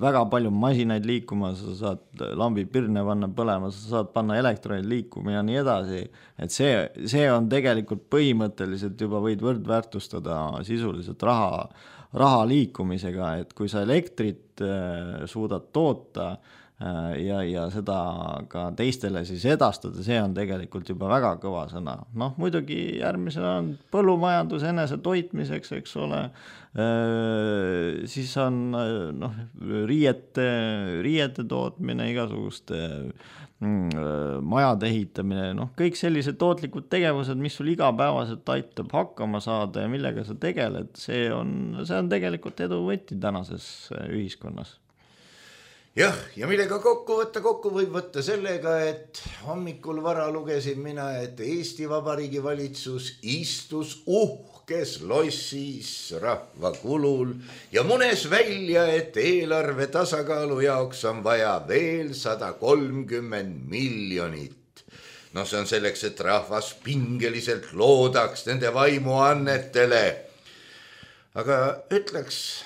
väga palju masinaid liikuma, sa saad lambi pirne panna põlema, sa saad panna elektronid liikuma ja nii edasi, et see, see on tegelikult põhimõtteliselt juba võid võrdväärtustada sisuliselt raha, raha liikumisega, et kui sa elektrit suudad toota ja, ja seda ka teistele siis edastada, see on tegelikult juba väga kõva sõna. Noh, muidugi järgmisena on põllumajandus enese toitmiseks, eks ole, siis on noh, riiete, riiete tootmine, igasuguste majade ehitamine, noh, kõik sellised tootlikud tegevused, mis sul igapäevaselt aitab hakkama saada ja millega sa tegeled, see on, see on tegelikult edu võti tänases ühiskonnas. Jah, ja millega kokku võtta, kokku võib võtta sellega, et hommikul vara lugesin mina, et Eesti Vabariigi valitsus istus uhkes lossis rahva kulul ja munes välja, et eelarve tasakaalu jaoks on vaja veel sada kolmkümmend miljonit. No see on selleks, et rahvas pingeliselt loodaks nende vaimuannetele. Aga ütleks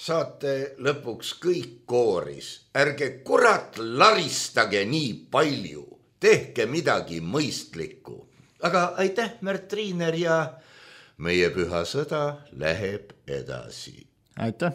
saate lõpuks kõik kooris. Ärge kurat laristage nii palju. Tehke midagi mõistlikku. Aga aitäh, Märt Triiner, ja meie püha sõda läheb edasi. Aitäh.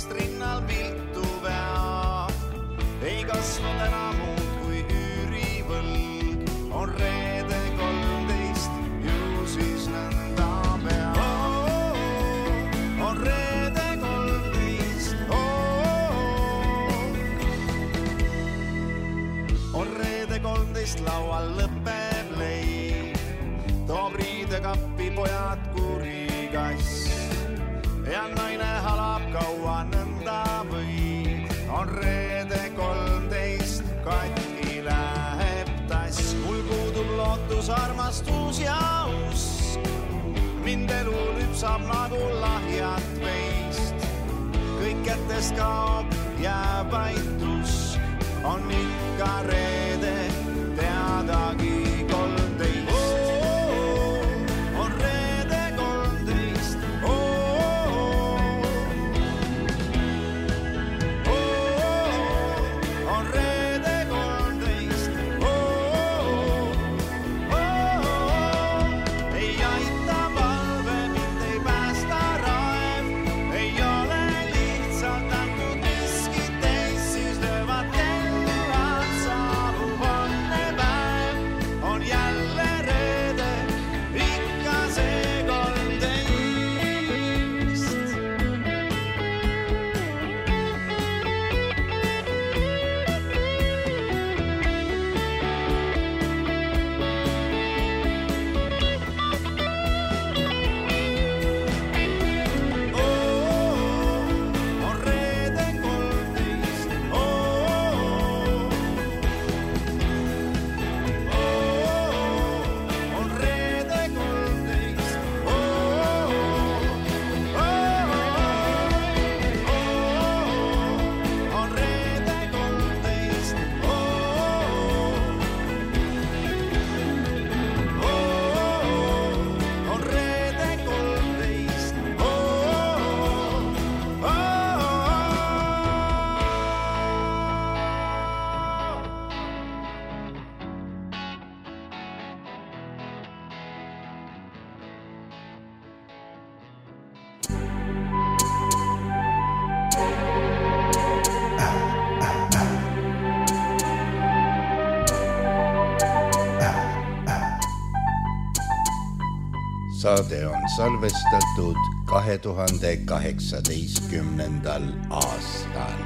Rinnal viltu vea, ei kasvanud enam muud kui üürivõlg, on reede kolmteist, ju siis nõnda pea. Oh, oh, on reede kolmteist, oh, oh, on reede kolmteist, laual lõpeb leib, toob riidekappi pojad kurigass. Ja naine halab kaua nõnda või, on reede kolmteist, katki läheb tass. Mul puudub lootus, armastus ja usk, mind elu lüpsab nagu lahjat veist. Kõik kätest kaob, jääb aitus, on ikka reede, teadagi kolmteist. Saan saade on salvestatud kahe tuhande kaheksateistkümnendal aastal.